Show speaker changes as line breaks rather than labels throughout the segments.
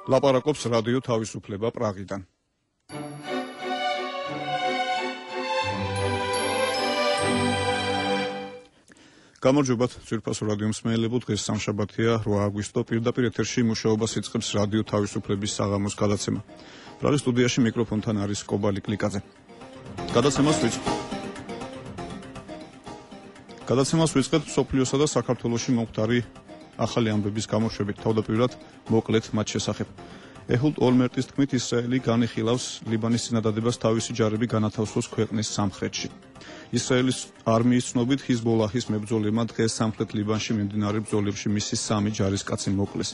ლაპარაკობს რადიო თავისუფლება პრაღიდან. გამარჯობათ, ძვირფასო რადიო მსმენელებო, დღეს სამშაბათია, 8 აგვისტო, პირდაპირ ეთერში მუშაობას იწყებს რადიო თავისუფლების საღამოს გადაცემა. პრაღის სტუდიაში მიკროფონთან არის კობალი კლიკაძე. გადაცემას ვიწყებთ სოფლიოსა და საქართველოში მომხდარი ახალი ამბების გამოშვებით, თავდაპირველად მოკლედ მათ შესახებ. ეჰუდ ოლმერტის თქმით, ისრაელი განიხილავს ლიბანის წინადადებას თავისი ჯარები განათავსოს ქვეყნის სამხრეთში. ისრაელის არმიის ცნობით, ჰიზბოლაჰის მებრძოლებმა დღეს სამხრეთ ლიბანში მიმდინარე ბრძოლებში მისი 3 ჯარისკაცი მოკლეს.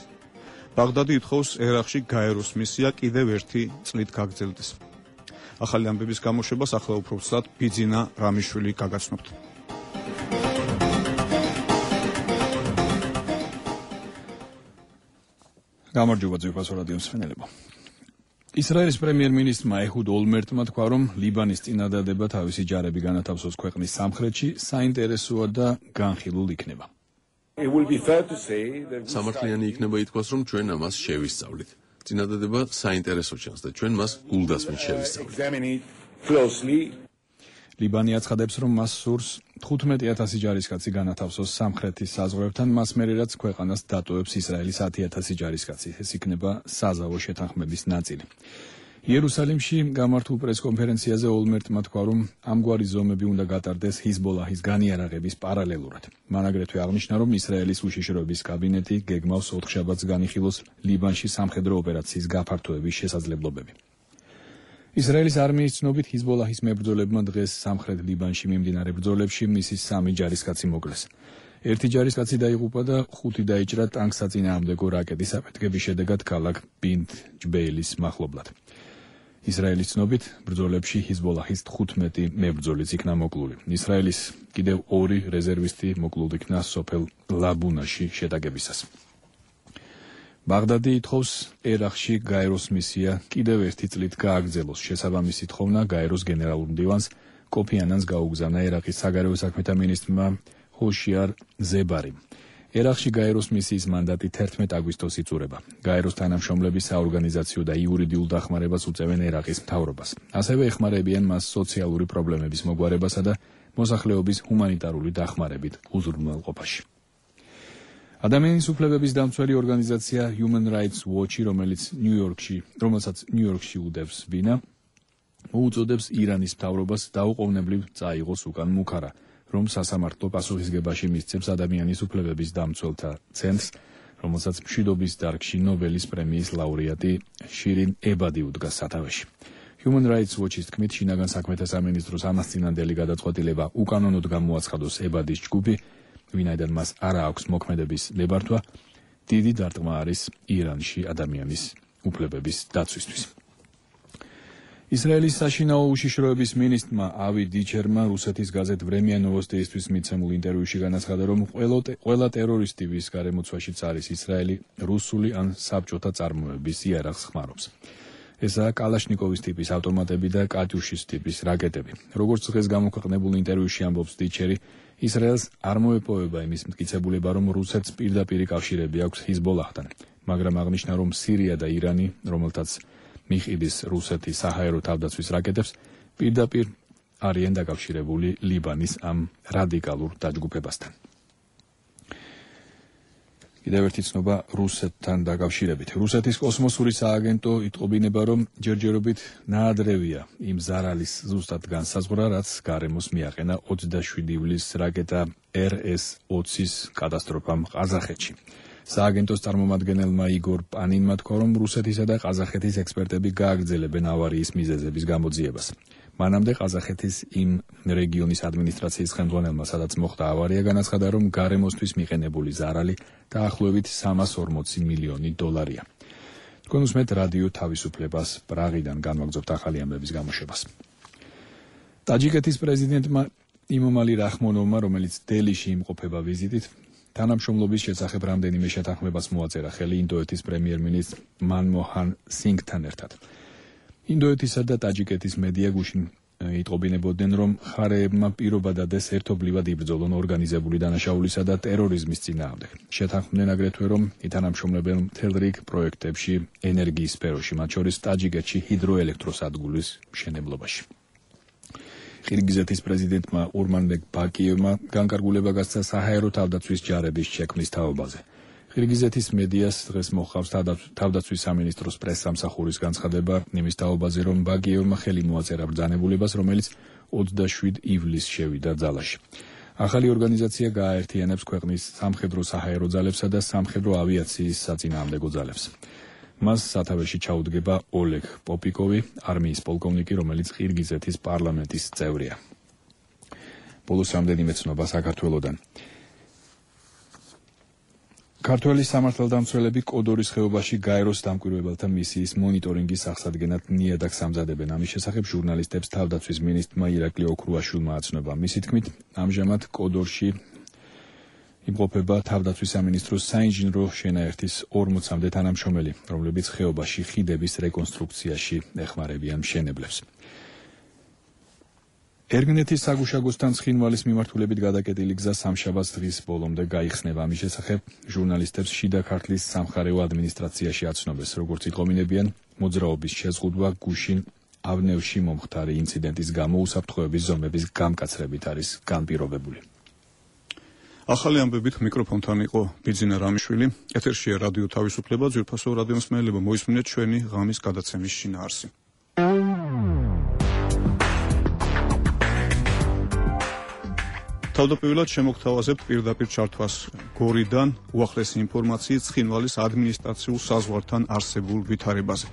ბაღდადი ითხოვს ერაყში გაეროს მისია კიდევ ერთი წლით გაგრძელდეს. ახალი ამბების გამოშვებას ახლა უფრო ვცლად ბიძინა რამიშვილი გაგაცნობთ. გამარჯობა ძვირფასო რადიო მსმენელებო. ისრაელის პრემიერ-მინისტრმა ეჰუდ ოლმერტმა თქვა, რომ ლიბანის წინადადება თავისი ჯარები განათავსოს ქვეყნის სამხრეთში საინტერესოა და განხილულ იქნება.
სამართლიანი იქნება ითქვას, რომ ჩვენ ამას შევისწავლით. წინადადება საინტერესო ჩანს და ჩვენ მას გულდასმით შევისწავლით.
ლიბანი აცხადებს, რომ მას სურს 15,000 ჯარისკაცი განათავსოს სამხრეთის საზღვრებთან, მას მერე რაც ქვეყანას დატოვებს ისრაელის 10,000 ჯარისკაცი. ეს იქნება საზავო შეთანხმების ნაწილი. იერუსალიმში გამართულ პრესკონფერენციაზე ოლმერტმა თქვა, რომ ამგვარი ზომები უნდა გატარდეს ჰიზბოლაჰის განიარაღების პარალელურად. მან აგრეთვე აღნიშნა, რომ ისრაელის უშიშროების კაბინეტი გეგმავს 4 შაბათს განიხილოს ლიბანში სამხედრო ოპერაციის გაფართოების შესაძლებლობები. ისრაელის არმიის ცნობით, ჰიზბოლაჰის მებრძოლებმა დღეს სამხრეთ ლიბანში მიმდინარე ბრძოლებში მისი 3 ჯარისკაცი მოკლეს. 1 ჯარისკაცი დაიღუპა და 5 დაიჭრა ტანკსაწინააღმდეგო რაკეტის აფეთქების შედეგად ქალაქ ბინთ ჯბეილის მახლობლად. ისრაელის ცნობით, ბრძოლებში ჰიზბოლაჰის 15 მებრძოლიც იქნა მოკლული. ისრაელის კიდევ 2 რეზერვისტი მოკლულ იქნა სოფელ ლაბუნაში შეტაკებისას. ბაღდადი ითხოვს ერაყში გაეროს მისია კიდევ ერთი წლით გააგრძელოს. შესაბამისი თხოვნა გაეროს გენერალურ მდივანს კოფი ანანს გაუგზავნა ერაყის საგარეო საქმეთა მინისტრმა ჰოშიარ ზებარიმ. ერაყში გაეროს მისიის მანდატი 11 აგვისტოს იწურება. გაეროს თანამშრომლები საორგანიზაციო და იურიდიულ დახმარებას უწევენ ერაყის მთავრობას. ასევე ეხმარებიან მას სოციალური პრობლემების მოგვარებასა და მოსახლეობის ჰუმანიტარული დახმარებით უზრუნველყოფაში. ადამიანის უფლებების დამცველი ორგანიზაცია Human Rights Watch, რომელსაც ნიუ-იორკში უდევს ბინა, მოუწოდებს ირანის მთავრობას დაუყოვნებლივ წაიღოს უკან მუქარა, რომ სასამართლო პასუხისგებაში მისცემს ადამიანის უფლებების დამცველთა ცენტრს, რომელსაც მშვიდობის დარგში ნობელის პრემიის ლაურეატი შირინ ებადი უდგას სათავეში. Human Rights Watch-ის თქმით, შინაგან საქმეთა სამინისტროს ამასწინანდელი გადაწყვეტილება უკანონოდ გამოაცხადოს ებადის ჯგუფი, ვინაიდან მას არა აქვს მოქმედების ნებართვა, დიდი დარტყმა არის ირანში ადამიანის უფლებების დაცვისთვის. ისრაელის საშინაო უშიშროების მინისტრმა ავი დიჩერმა რუსეთის გაზეთ ვრემია ნოვოსტიისთვის მიცემულ ინტერვიუში განაცხადა, რომ ყველა ტერორისტი, ვის გარემოცვაშიც არის ისრაელი, რუსული ან საბჭოთა წარმოების იარაღს ხმარობს. ესაა კალაშნიკოვის ტიპის ავტომატები და კატიუშის ტიპის რაკეტები. როგორც დღეს გამოქვეყნებულ ინტერვიუში ამბობს დიჩერი, ისრაელს არ მოეპოვება იმის მტკიცებულება, რომ რუსეთს პირდაპირი კავშირები აქვს ჰიზბოლაჰთან, მაგრამ აღნიშნა, რომ სირია და ირანი, რომელთაც მიჰყიდის რუსეთის საჰაერო თავდაცვის რაკეტებს, პირდაპირ არიან დაკავშირებული ლიბანის ამ რადიკალურ დაჯგუფებასთან. კიდევ ერთი ცნობა რუსეთთან დაკავშირებით. რუსეთის კოსმოსური სააგენტო იტყობინება, რომ ჯერჯერობით ნაადრევია იმ ზარალის ზუსტად განსაზღვრა, რაც გარემოს მიაყენა 27 ივლისს რაკეტა RS-20-ის კატასტროფამ ყაზახეთში. სააგენტოს წარმომადგენელმა იგორ პანინმა თქვა, რომ რუსეთისა და ყაზახეთის ექსპერტები გააგრძელებენ ავარიის მიზეზების გამოძიებას. მანამდე ყაზახეთის იმ რეგიონის ადმინისტრაციის ხელმძღვანელმა, სადაც მოხდა ავარია, განაცხადა, რომ გარემოსთვის მიყენებული ზარალი დაახლოებით 340 მილიონი დოლარია. თქვენ უსმენთ რადიო თავისუფლებას პრაღიდან განვაგრძობთ ახალი ამბების გამოშვებას. ტაჯიკეთის პრეზიდენტმა იმომალი რაჰმონოვმა, რომელიც დელიში იმყოფება ვიზიტით, თანამშრომლობის შესახებ რამდენიმე შეთანხმებას მოაწერა ხელი ინდოეთის პრემიერ-მინისტრ მანმოჰან სინგთან ერთად. ინდოეთისა და ტაჯიკეთის მედია გუშინ იტყობინებოდნენ, რომ მხარეებმა პირობა დადეს ერთობლივად იბრძოლონ ორგანიზებული დანაშაულისა და ტერორიზმის წინააღმდეგ. შეთანხმდნენ აგრეთვე, რომ ითანამშრომლებენ მთელ რიგ პროექტებში ენერგიის სფეროში, მათ შორის ტაჯიკეთში ჰიდროელექტროსადგურის მშენებლობაში. ყირგიზეთის პრეზიდენტმა ურმანბეკ ბაკიევმა განკარგულება გასცა საჰაერო თავდაცვის ჯარების შექმნის თაობაზე. ყირგიზეთის მედიას დღეს მოჰყავს თავდაცვის სამინისტროს პრესსამსახურის განცხადება იმის თაობაზე, რომ ბაკიევმა ხელი მოაწერა ბრძანებულებას, რომელიც 27 ივლისს შევიდა ძალაში. ახალი ორგანიზაცია გააერთიანებს ქვეყნის სამხედრო საჰაერო ძალებსა და სამხედრო ავიაციის საწინააღმდეგო ძალებს. მას სათავეში ჩაუდგება ოლეგ პოპიკოვი, არმიის პოლკოვნიკი, რომელიც ყირგიზეთის პარლამენტის წევრია. ბოლოს რამდენიმე ცნობა საქართველოდან. ქართველი სამართალდამცველები კოდორის ხეობაში გაეროს დამკვირვებელთა მისიის მონიტორინგის აღსადგენად ნიადაგს ამზადებენ. ამის შესახებ ჟურნალისტებს თავდაცვის მინისტრმა ირაკლი ოქრუაშვილმა აცნობა. მისი თქმით, ამჟამად კოდორში იმყოფება თავდაცვის სამინისტროს საინჟინრო შენაერთის 40-მდე თანამშრომელი, რომლებიც ხეობაში ხიდების რეკონსტრუქციაში ეხმარებიან მშენებლებს. ერგნეთის საგუშაგოსთან ცხინვალის მიმართულებით გადაკეტილი გზა სამშაბათს დღის ბოლომდე გაიხსნება. ამის შესახებ ჟურნალისტებს შიდა ქართლის სამხარეო ადმინისტრაციაში აცნობეს. როგორც იტყობინებიან, მოძრაობის შეზღუდვა გუშინ ავნევში მომხდარი ინციდენტის გამო უსაფრთხოების ზომების გამკაცრებით არის განპირობებული.
ახალი ამბებით მიკროფონთან იყო ბიძინა რამიშვილი. ეთერშია რადიო თავისუფლება, ძვირფასო რადიომსმენელებო, მოისმინეთ ჩვენი ღამის გადაცემის შინაარსი. თავდაპირველად შემოგთავაზებთ პირდაპირ ჩართვას გორიდან უახლესი ინფორმაციით ცხინვალის ადმინისტრაციულ საზღვართან არსებულ ვითარებაზე.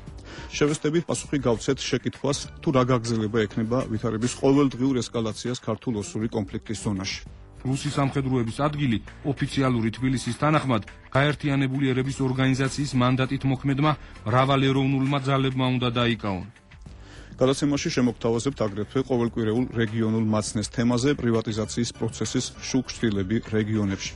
შევესწრებით პასუხი გავცეთ შეკითხვას, თუ რა გაგრძელება ექნება ვითარების ყოველდღიურ ესკალაციას ქართულ-ოსური კონფლიქტის ზონაში.
რუსი სამხედროების ადგილი ოფიციალური თბილისის თანახმად გაერთიანებული ერების ორგანიზაციის მანდატით მოქმედმა მრავალეროვნულმა ძალებმა უნდა დაიკავონ.
გადაცემაში შემოგთავაზებთ აგრეთვე ყოველკვირეულ რეგიონულ მაცნეს თემაზე პრივატიზაციის პროცესის შუქშთილები რეგიონებში.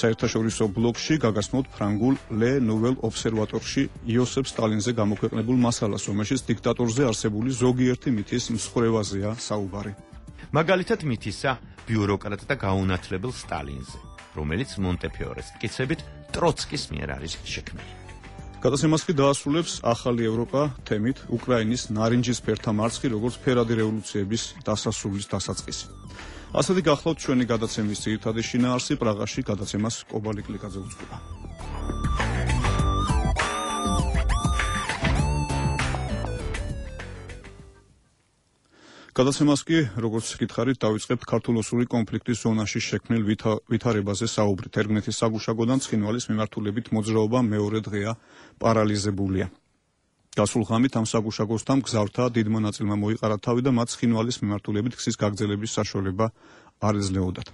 საერთაშორისო ბლოგში გაგაცნობთ ფრანგულ Le Nouvel Observatoire-ში იოსებ სტალინზე გამოქვეყნებულ მასალას, რომელშიც დიქტატორზე არსებული ზოგიერთი მითის მსხვერვაზეა საუბარი.
მაგალითად მითისა ბიუროკრატ და გაუნათლებელ სტალინზე, რომელიც მონტეფიორეს მტკიცებით ტროცკის მიერ არის შექმნილი.
გადაცემას კი დაასრულებს ახალი ევროპა თემით უკრაინის ნარინჯისფერთა მარცხი, როგორც ფერადი რევოლუციების დასასრულის დასაწყისი. ასეთი გახლავთ ჩვენი გადაცემის ძირითადი შინაარსი. პრაღაში გადაცემას კობალი კლიკაძე უძღვება. გადაცემას კი, როგორც გითხარით, დავიწყებთ ქართულ-ოსური კონფლიქტის ზონაში შექმნილ ვითარებაზე საუბრით. ერგნეთის საგუშაგოდან ცხინვალის მიმართულებით მოძრაობა მეორე დღეა პარალიზებულია. გასულ ღამით ამ საგუშაგოსთან მგზავრთა დიდმა ნაწილმა მოიყარა თავი და მათ ცხინვალის მიმართულებით გზის გაგრძელების საშუალება არ ეძლეოდათ.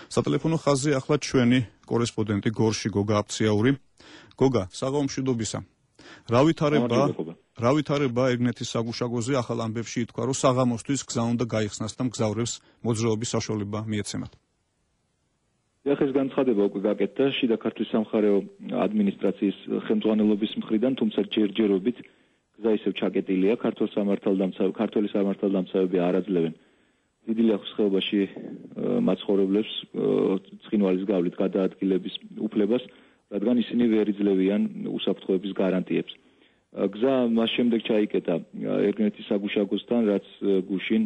სატელეფონო ხაზზე ახლა ჩვენი კორესპონდენტი გორში გოგა აფციაური. გოგა, საღამომშვიდობისა. რა ვითარება ერგნეთის საგუშაგოზე? ახალ ამბებში ითქვა, რომ საღამოსთვის გზა უნდა გაიხსნას და მგზავრებს მოძრაობის საშუალება მიეცემათ.
ეს განცხადება უკვე გაკეთდა შიდა ქართლის სამხარეო ადმინისტრაციის ხელმძღვანელობის მხრიდან, თუმცა ჯერჯერობით გზა ისევ ჩაკეტილია. ქართული სამართალდამცავები არ აძლევენ დიდი ლიახვის ხეობაში მაცხოვრებლებს ცხინვალის გავლით გადაადგილების უფლებას, რადგან ისინი ვერ იძლევიან უსაფრთხოების გარანტიებს. გზა მას შემდეგ ჩაიკეტა ერგნეთის საგუშაგოსთან, რაც გუშინ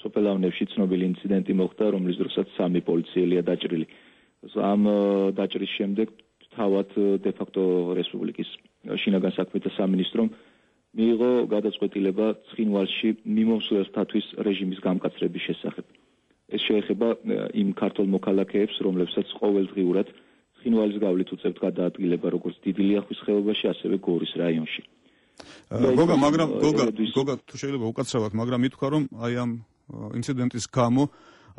სოფელ ავნევში ცნობილი ინციდენტი მოხდა, რომლის დროსაც 3 პოლიციელია დაჭრილი. ამ დაჭრის შემდეგ თავად დე-ფაქტო რესპუბლიკის შინაგან საქმეთა სამინისტრომ მიიღო გადაწყვეტილება ცხინვალში მიმომსვლელთათვის რეჟიმის გამკაცრების შესახებ. ეს შეეხება იმ ქართულ მოქალაქეებს, რომლებსაც ყოველდღიურად ცხინვალის გავლით უწევთ გადაადგილება როგორც დიდი ლიახვის ხეობაში, ასევე გორის რაიონში.
გოგა, თუ შეიძლება უკაცრავად, მაგრამ ითქვა, რომ აი ამ ინციდენტის გამო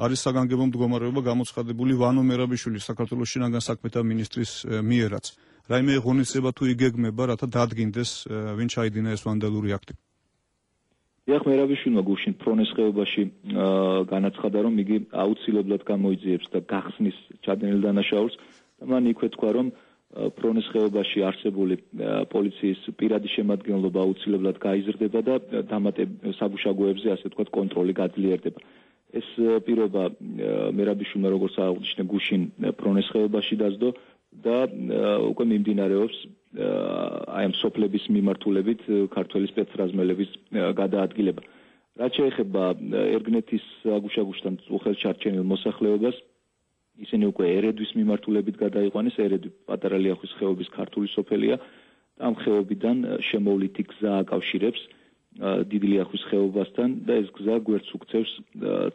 არის საგანგებო მდგომარეობა გამოცხადებული ვანო მერაბიშვილის საქართველოს შინაგან საქმეთა მინისტრის მიერაც. რაიმე ღონისძიება თუ იგეგმება, რათა დადგინდეს ვინ ჩაიდინა ეს ვანდალური აქტი?
დიახ, მერაბიშვილმა გუშინ ფრონეს ხეობაში განაცხადა, რომ იგი აუცილებლად გამოიძიებს და გახსნის ჩადენილ დანაშაულს. მან იქვე თქვა, რომ ფრონეს ხეობაში არსებული პოლიციის პირადი შემადგენლობა აუცილებლად გაიზრდება და საგუშაგოებზე ასე ვთქვათ კონტროლი გაძლიერდება. ეს პირობა მერაბიშვილმა როგორც აღნიშნე გუშინ ფრონეს ხეობაში დასდო და უკვე მიმდინარეობს აი ამ სოფლების მიმართულებით ქართველი სპეცრაზმელების გადაადგილება. რაც შეეხება ერგნეთის საგუშაგოშთან უხელჩარჩენილ მოსახლეობას, ისინი უკვე ერედვის მიმართულებით გადაიყვანეს. ერედვი პატარა ლიახვის ხეობის ქართული სოფელია და ამ ხეობიდან შემოვლითი გზა აკავშირებს დიდი ლიახვის ხეობასთან და ეს გზა გვერდს უქცევს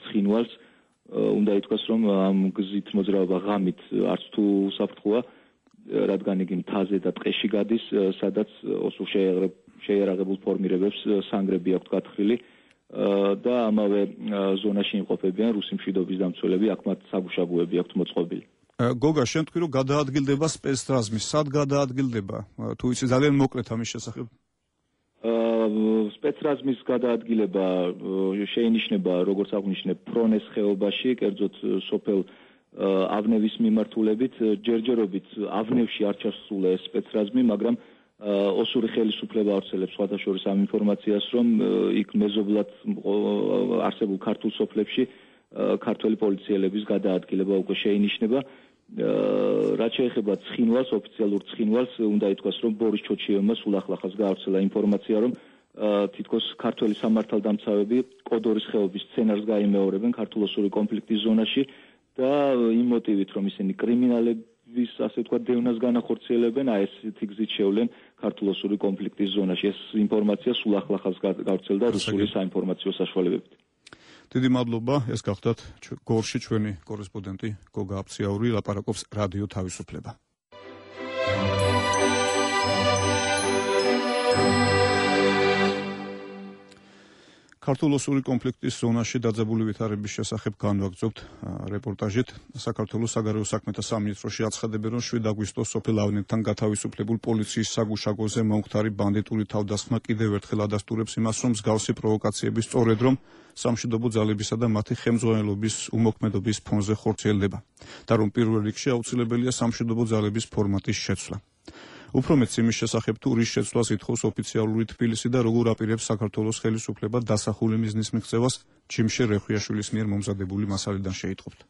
ცხინვალს. უნდა ითქვას, რომ ამ გზით მოძრაობა ღამით არც თუ უსაფრთხოა, რადგან იგი მთაზე და ტყეში გადის, სადაც ოსურ შეიარაღებულ ფორმირებებს სანგრები აქვთ გათხრილი და ამავე ზონაში იმყოფებიან რუსი მშვიდობის დამცველები, აქ მათ საგუშაგოები აქვთ მოწყობილი.
გოგა, შენ თქვი, რომ გადაადგილდება სპეცრაზმი, სად გადაადგილდება? თუ იცი ძალიან მოკლედ ამის შესახებ.
სპეცრაზმის გადაადგილება შეინიშნება, როგორც აღნიშნე, ფრონეს ხეობაში, კერძოდ სოფელ ავნევის მიმართულებით, ჯერჯერობით ავნევში არ ჩასულა ეს სპეცრაზმი, მაგრამ ოსური ხელისუფლება ავრცელებს სხვათაშორის ამ ინფორმაციას, რომ იქ მეზობლად არსებულ ქართულ სოფლებში ქართველი პოლიციელების გადაადგილება უკვე შეინიშნება. რაც შეეხება ცხინვალს, ოფიციალურ ცხინვალს, უნდა ითქვას, რომ ბორის ჩოჩიევმა სულ ახლახანს გაავრცელა ინფორმაცია, რომ თითქოს ქართველი სამართალდამცავები კოდორის ხეობის სცენარს გაიმეორებენ ქართულ-ოსური კონფლიქტის ზონაში და იმ მოტივით, რომ ისინი კრიმინალების, ასე ვთქვათ, დევნას განახორციელებენ, აი ესეთი გზით შევლენ ქართულ-ოსური კონფლიქტის ზონაში. ეს ინფორმაცია სულ ახლახანს გავრცელდა რუსული საინფორმაციო საშუალებებით.
დიდი მადლობა, ეს გახდათ გორში ჩვენი კორესპონდენტი გოგა აფციაური, ლაპარაკობს რადიო თავისუფლება. ქართულ-ოსური კონფლიქტის ზონაში დაძაბული ვითარების შესახებ განვაგრძობთ რეპორტაჟით. საქართველოს საგარეო საქმეთა სამინისტროში აცხადებენ, რომ 7 აგვისტოს სოფელ ავნებთან გათავისუფლებულ პოლიციის საგუშაგოზე მომხდარი ბანდიტური თავდასხმა კიდევ ერთხელ ადასტურებს იმას, რომ მსგავსი პროვოკაციები სწორედ რომ სამშვიდობო ძალებისა და მათი ხელმძღვანელობის უმოქმედობის ფონზე ხორციელდება და რომ პირველ რიგში აუცილებელია სამშვიდობო ძალების ფორმატის შეცვლა. უფრო მეც იმის შესახებ, თუ რის შეცვლას ითხოვს ოფიციალური თბილისი და როგორ აპირებს საქართველოს ხელისუფლება დასახული მიზნის მიღწევას, ჩიმშე რეხვიაშვილის მიერ მომზადებული მასალიდან შეიტყობთ.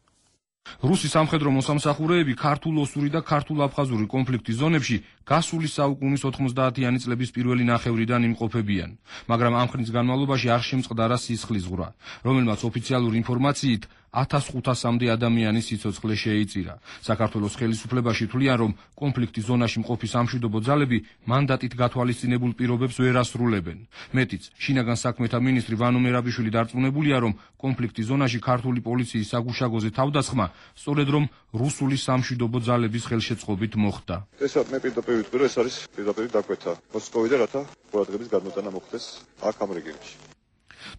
რუსი სამხედრო მოსამსახურეები ქართულ-ოსური და ქართულ-აფხაზური კონფლიქტის ზონებში გასული საუკუნის 90-იანი წლების პირველი ნახევრიდან იმყოფებიან, მაგრამ ამ ხნის განმავლობაში არ შემწყდარა სისხლის ზღვრა, რომელმაც ოფიციალური ინფორმაციით 1500-მდე ადამიანის სიცოცხლე შეიწირა. საქართველოს ხელისუფლებაში თვლიან, რომ კონფლიქტის ზონაში მყოფი სამშვიდობო ძალები მანდატით გათვალისწინებულ პირობებს ვერ ასრულებენ. მეტიც, შინაგან საქმეთა მინისტრი ვანო მერაბიშვილი დარწმუნებულია, რომ კონფლიქტის ზონაში ქართული პოლიციის საგუშაგოზე თავდასხმა სწორედ რომ რუსული სამშვიდობო ძალების ხელშეწყობით მოხდა.
მე პირდაპირ ვიტყვი, რომ ეს არის პირდაპირ დაკვეთა მოსკოვიდან, რათა ყურადღების გადმოტანა მოხდეს აქ ამ რეგიონში.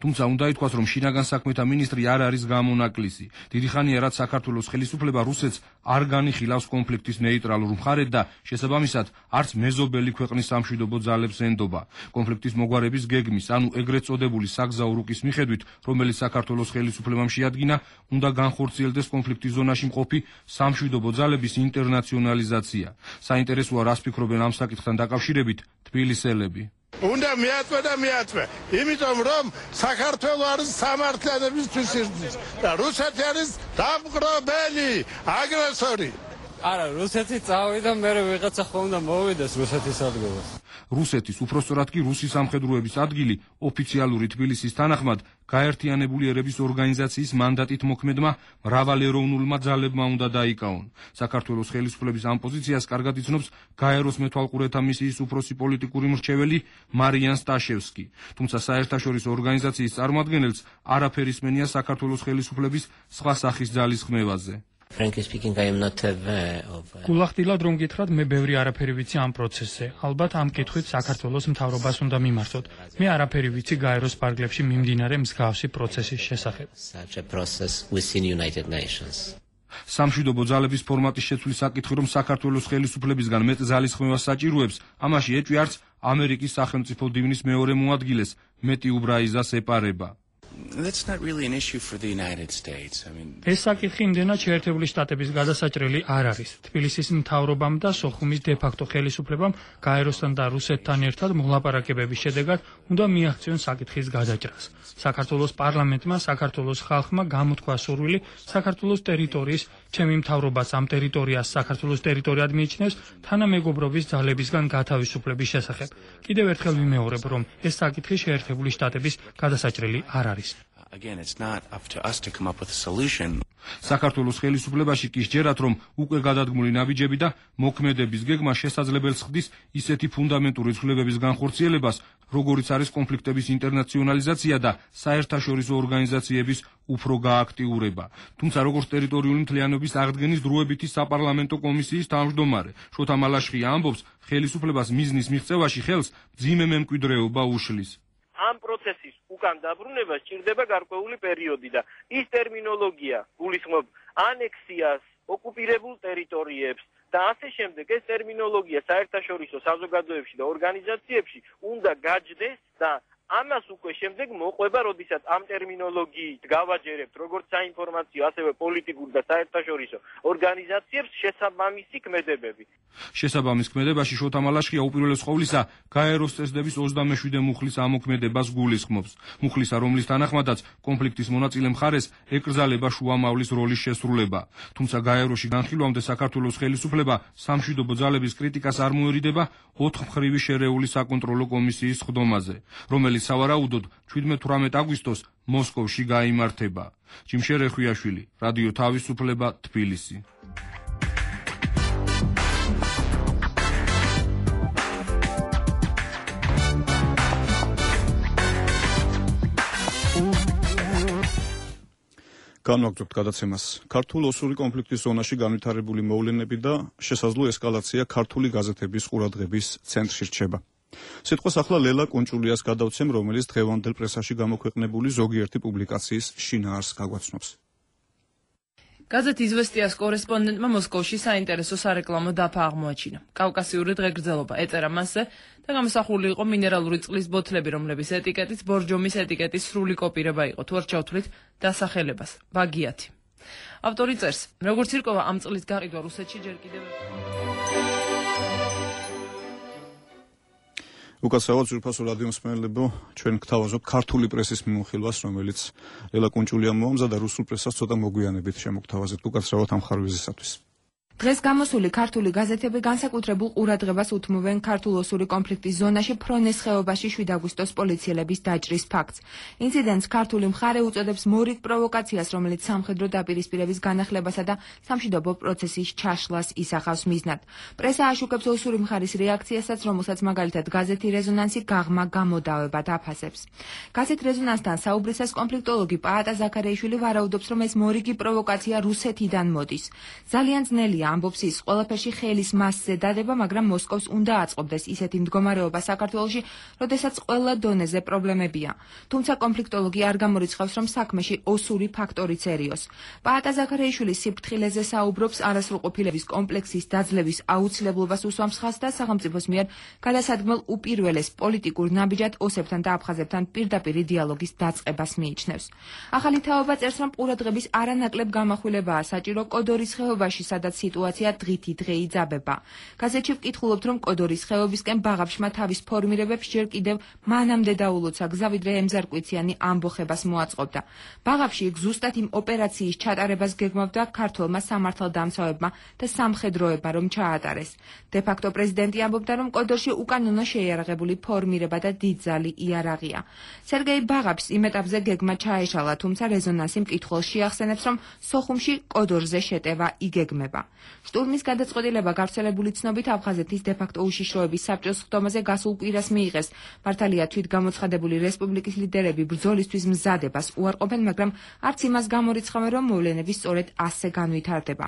თუმცა უნდა ითქვას, რომ შინაგან საქმეთა მინისტრი არ არის გამონაკლისი. დიდი ხანია, რაც საქართველოს ხელისუფლება რუსეთს არ განიხილავს კონფლიქტის ნეიტრალურ მხარედ და შესაბამისად არც მეზობელი ქვეყნის სამშვიდობო ძალებს ენდობა. კონფლიქტის მოგვარების გეგმის, ანუ ეგრეთ წოდებული საგზაო რუკის მიხედვით, რომელიც საქართველოს ხელისუფლებამ შეადგინა, უნდა განხორციელდეს კონფლიქტის ზონაში მყოფი სამშვიდობო ძალების ინტერნაციონალიზაცია. საინტერესოა, რას ფიქრობენ ამ საკითხთან დაკავშირებით თბილისელები.
უნდა მიაწვე, იმიტომ რომ საქართველო არის სამართლებისთვის იზრდის და რუსეთი არის დამყრობელი, აგრესორი.
არა, რუსეთი წავიდა, მე ვიღაცა ხომ უნდა მოვიდეს რუსეთის ადგილას.
რუსეთის, უпростоრად კი რუსი სამხედროების ადგილი ოფიციალური თბილისის თანახმად გაერთიანებული ერების ორგანიზაციის მანდატით მოქმედმა მრავალეროვნულმა ძალებმა უნდა დაიკავონ. საქართველოს ხელისუფლების ამ პოზიციას კარგად იცნობს გაეროს მეთვალყურეთა მისიის უფროსი პოლიტიკური მრჩეველი მარიან სტაშევსკი. თუმცა საერთაშორისო ორგანიზაციის წარმოადგენელს არაფერი სმენია საქართველოს ხელისუფლების სხვა სახის ძალის ხმევაზე.
Frankly speaking, I am not aware of.
გულახდილად რომ გითხრათ, მე ბევრი არაფერი ვიცი ამ პროცესზე. ალბათ ამ კითხვით საქართველოს მთავრობას უნდა მიმართოთ. მე არაფერი ვიცი გაეროს ფარგლებში მიმდინარე მსგავსი პროცესის შესახებ.
Such a process within United Nations.
სამშვიდობო ძალების ფორმატის შეცვლის საკითხი, რომ საქართველოს ხელისუფლებისგან მეტ ძალის ხმევას საჭიროებს, ამაში ეჭვი არც ამერიკის სახელმწიფო დივნის მეორე მოადგილეს მეტი უბრაიზას ეპარება.
That's not really an issue for the United States.
ეს საკითხი იმდენად შეერთებული შტატების გადასაჭრელი არ არის. თბილისის მთავრობამ და სოხუმის დე-ფაქტო ხელისუფლებამ გაეროსთან და რუსეთთან ერთად მოლაპარაკებების შედეგად უნდა მიაღწიონ საკითხის გადაჭრას. საქართველოს პარლამენტმა, საქართველოს ხალხმა გამოთქვა სურვილი საქართველოს ტერიტორიის, ჩემი მთავრობას ამ ტერიტორიას საქართველოს ტერიტორიად მიიჩნევს თანამეგობრობის ძალებისგან გათავისუფლების შესახებ. კიდევ ერთხელ ვიმეორებ, რომ ეს საკითხი შეერთებული შტატების გადასაჭრელი არ არის.
Again, it's not up to us to come up with a solution.
საქართველოს ხელისუფლებაში კი სჯერათ, რომ უკვე გადადგმული ნაბიჯები და მოქმედების გეგმა შესაძლებელს ხდის ისეთი ფუნდამენტური ცვლილებების განხორციელებას, როგორიც არის კონფლიქტების ინტერნაციონალიზაცია და საერთაშორისო ორგანიზაციების უფრო გააქტიურება. თუმცა როგორც ტერიტორიული მთლიანობის აღდგენის დროებითი საპარლამენტო კომისიის თავმჯდომარე შოთა მალაშხია ამბობს, ხელისუფლებას მიზნის მიღწევაში ხელს მძიმე მემკვიდრეობა უშლის.
ამ პროცესის უკან დაბრუნება სჭირდება გარკვეული პერიოდი და ის ტერმინოლოგია გულისხმობს ანექსიას, ოკუპირებულ ტერიტორიებს და ასე შემდეგ. ეს ტერმინოლოგია საერთაშორისო საზოგადოებებში და ორგანიზაციებში უნდა გაჯდეს და ამას უკვე შემდეგ მოყვება, როდესაც ამ ტერმინოლოგიით გავაჯერებთ როგორც საინფორმაციო, ასევე პოლიტიკურ და საერთაშორისო ორგანიზაციებს შესაბამისი ქმედებები.
შესაბამის ქმედებაში შოთა მალაშხია უპირველეს ყოვლისა გაეროს წესდების 27 მუხლის ამოქმედებას გულისხმობს. მუხლისა, რომლის თანახმადაც კონფლიქტის მონაწილე მხარეს ეკრძალება შუამავლის როლის შესრულება. თუმცა გაეროში განხილვამდე საქართველოს ხელისუფლება სამშვიდობო ძალების კრიტიკას არ მოერიდება 4 მხრივი შერეული საკონტროლო კომისიის სხდომაზე, რომელიც სავარაუდოდ 17-18 აგვისტოს მოსკოვში გაიმართება. ჯიმშერ ეხვიაშვილი, რადიო თავისუფლება, თბილისი.
განვაგრძობთ გადაცემას. ქართულ-ოსური კონფლიქტის ზონაში განვითარებული მოვლენები და შესაძლო ესკალაცია ქართული გაზეთების ყურადღების ცენტრში რჩება. სიტყვას ახლა ლელა კუნჭულიას გადავცემ, რომელიც დღევანდელ პრესაში გამოქვეყნებული ზოგიერთი პუბლიკაციის შინაარსს გაგვაცნობს.
გაზეთ „იზვესტიას“ კორესპონდენტმა მოსკოვში საინტერესო სარეკლამო დაფა აღმოაჩინა. კავკასიური დღეგრძელობა ეწერა მასზე და გამოსახული იყო მინერალური წყლის ბოთლები, რომლების ეტიკეტიც ბორჯომის ეტიკეტის სრული კოპირება იყო. თუ არ ჩავთვლით დასახელებას ბაგიათი. ავტორი წერს, როგორც ირკვევა ამ წყლის გაყიდვა რუსეთში ჯერ კიდევ
უკაცრავად ძვირფასო რადიო მსმენელებო, ჩვენ გთავაზობთ ქართული პრესის მიმოხილვას, რომელიც ლელა კუნჭულიამ მოამზადა რუსულ პრესას ცოტა მოგვიანებით შემოგთავაზეთ უკაცრავად ამ ხარვეზისათვის.
დღეს გამოსული ქართული გაზეთები განსაკუთრებულ ყურადღებას უთმობენ ქართულ-ოსური კონფლიქტის ზონაში ფრონეს ხეობაში 7 აგვისტოს პოლიციელების დაჭრის ფაქტს. ინციდენტს ქართული მხარე უწოდებს მორიგ პროვოკაციას, რომელიც სამხედრო დაპირისპირების განახლებასა და სამშვიდობო პროცესის ჩაშლას ისახავს მიზნად. პრესა აშუქებს ოსური მხარის რეაქციასაც, რომელსაც მაგალითად გაზეთი რეზონანსი გაღმა გამოდავებად აფასებს. გაზეთ რეზონანსთან საუბრისას კონფლიქტოლოგი პაატა ზაქარიაშვილი ვარაუდობს, რომ ეს მორიგი პროვოკაცია რუსეთიდან მოდის. ძალიან ძნელია ამბობს ის, ყველაფერში ხელის მასზე დადება, მაგრამ მოსკოვს უნდა აწყობდეს ისეთი მდგომარეობა საქართველოში, როდესაც ყველა დონეზე პრობლემებია. თუმცა კონფლიქტოლოგი არ გამორიცხავს, რომ საქმეში ოსური ფაქტორიცერიოს. პაატა ზაქარიაშვილი სიფრთხილეზე საუბრობს, არასრულყოფილების კომპლექსის დაძლევის აუცილებლობას უსვამს ხაზს და სახელმწიფოს მიერ გადასადგმელ უპირველეს პოლიტიკურ ნაბიჯად ოსებთან და აფხაზებთან პირდაპირი დიალოგის დაწყებას მიიჩნევს. ახალი თაობა წერს, რომ ყურადღების არანაკლებ გამახვილებაა საჭირო კოდორის ხეობაში, სადაც სიტუაცია დღითი დღე იძაბება. გაზეთში ვკითხულობთ, რომ კოდორის ხეობისკენ ბაღაფშმა თავის ფორმირებებს ჯერ კიდევ მანამდე დაულოცა გზა, ვიდრე ემზარკვიციანი ამბოხებას მოაწყობდა. ბაღაფში იქ ზუსტად იმ ოპერაციის ჩატარებას გეგმავდა ქართველმა სამართალდამცავებმა და სამხედროებმა, რომ ჩაატარეს. დე-ფაქტო პრეზიდენტი ამბობდა, რომ კოდორში უკანონო შეიარაღებული ფორმირება და დიდძალი იარაღია. სერგეი ბაღაფშს იმ ეტაპზე გეგმა ჩაეშალა, თუმცა რეზონანსი მკითხველს შეახსენებს, რომ სოხუმში კოდორზე შეტევა იგეგმება. შტურმის გადაწყვეტილება გავრცელებული ცნობით აფხაზეთის დე-ფაქტო უშიშროების საბჭოს ხდომაზე გასულ კვირას მიიღეს. მართალია თვითგამოცხადებული რესპუბლიკის ლიდერები ბრძოლისთვის მზადებას უარყოფენ, მაგრამ არც იმას გამორიცხავენ, რომ მოვლენები სწორედ ასე განვითარდება.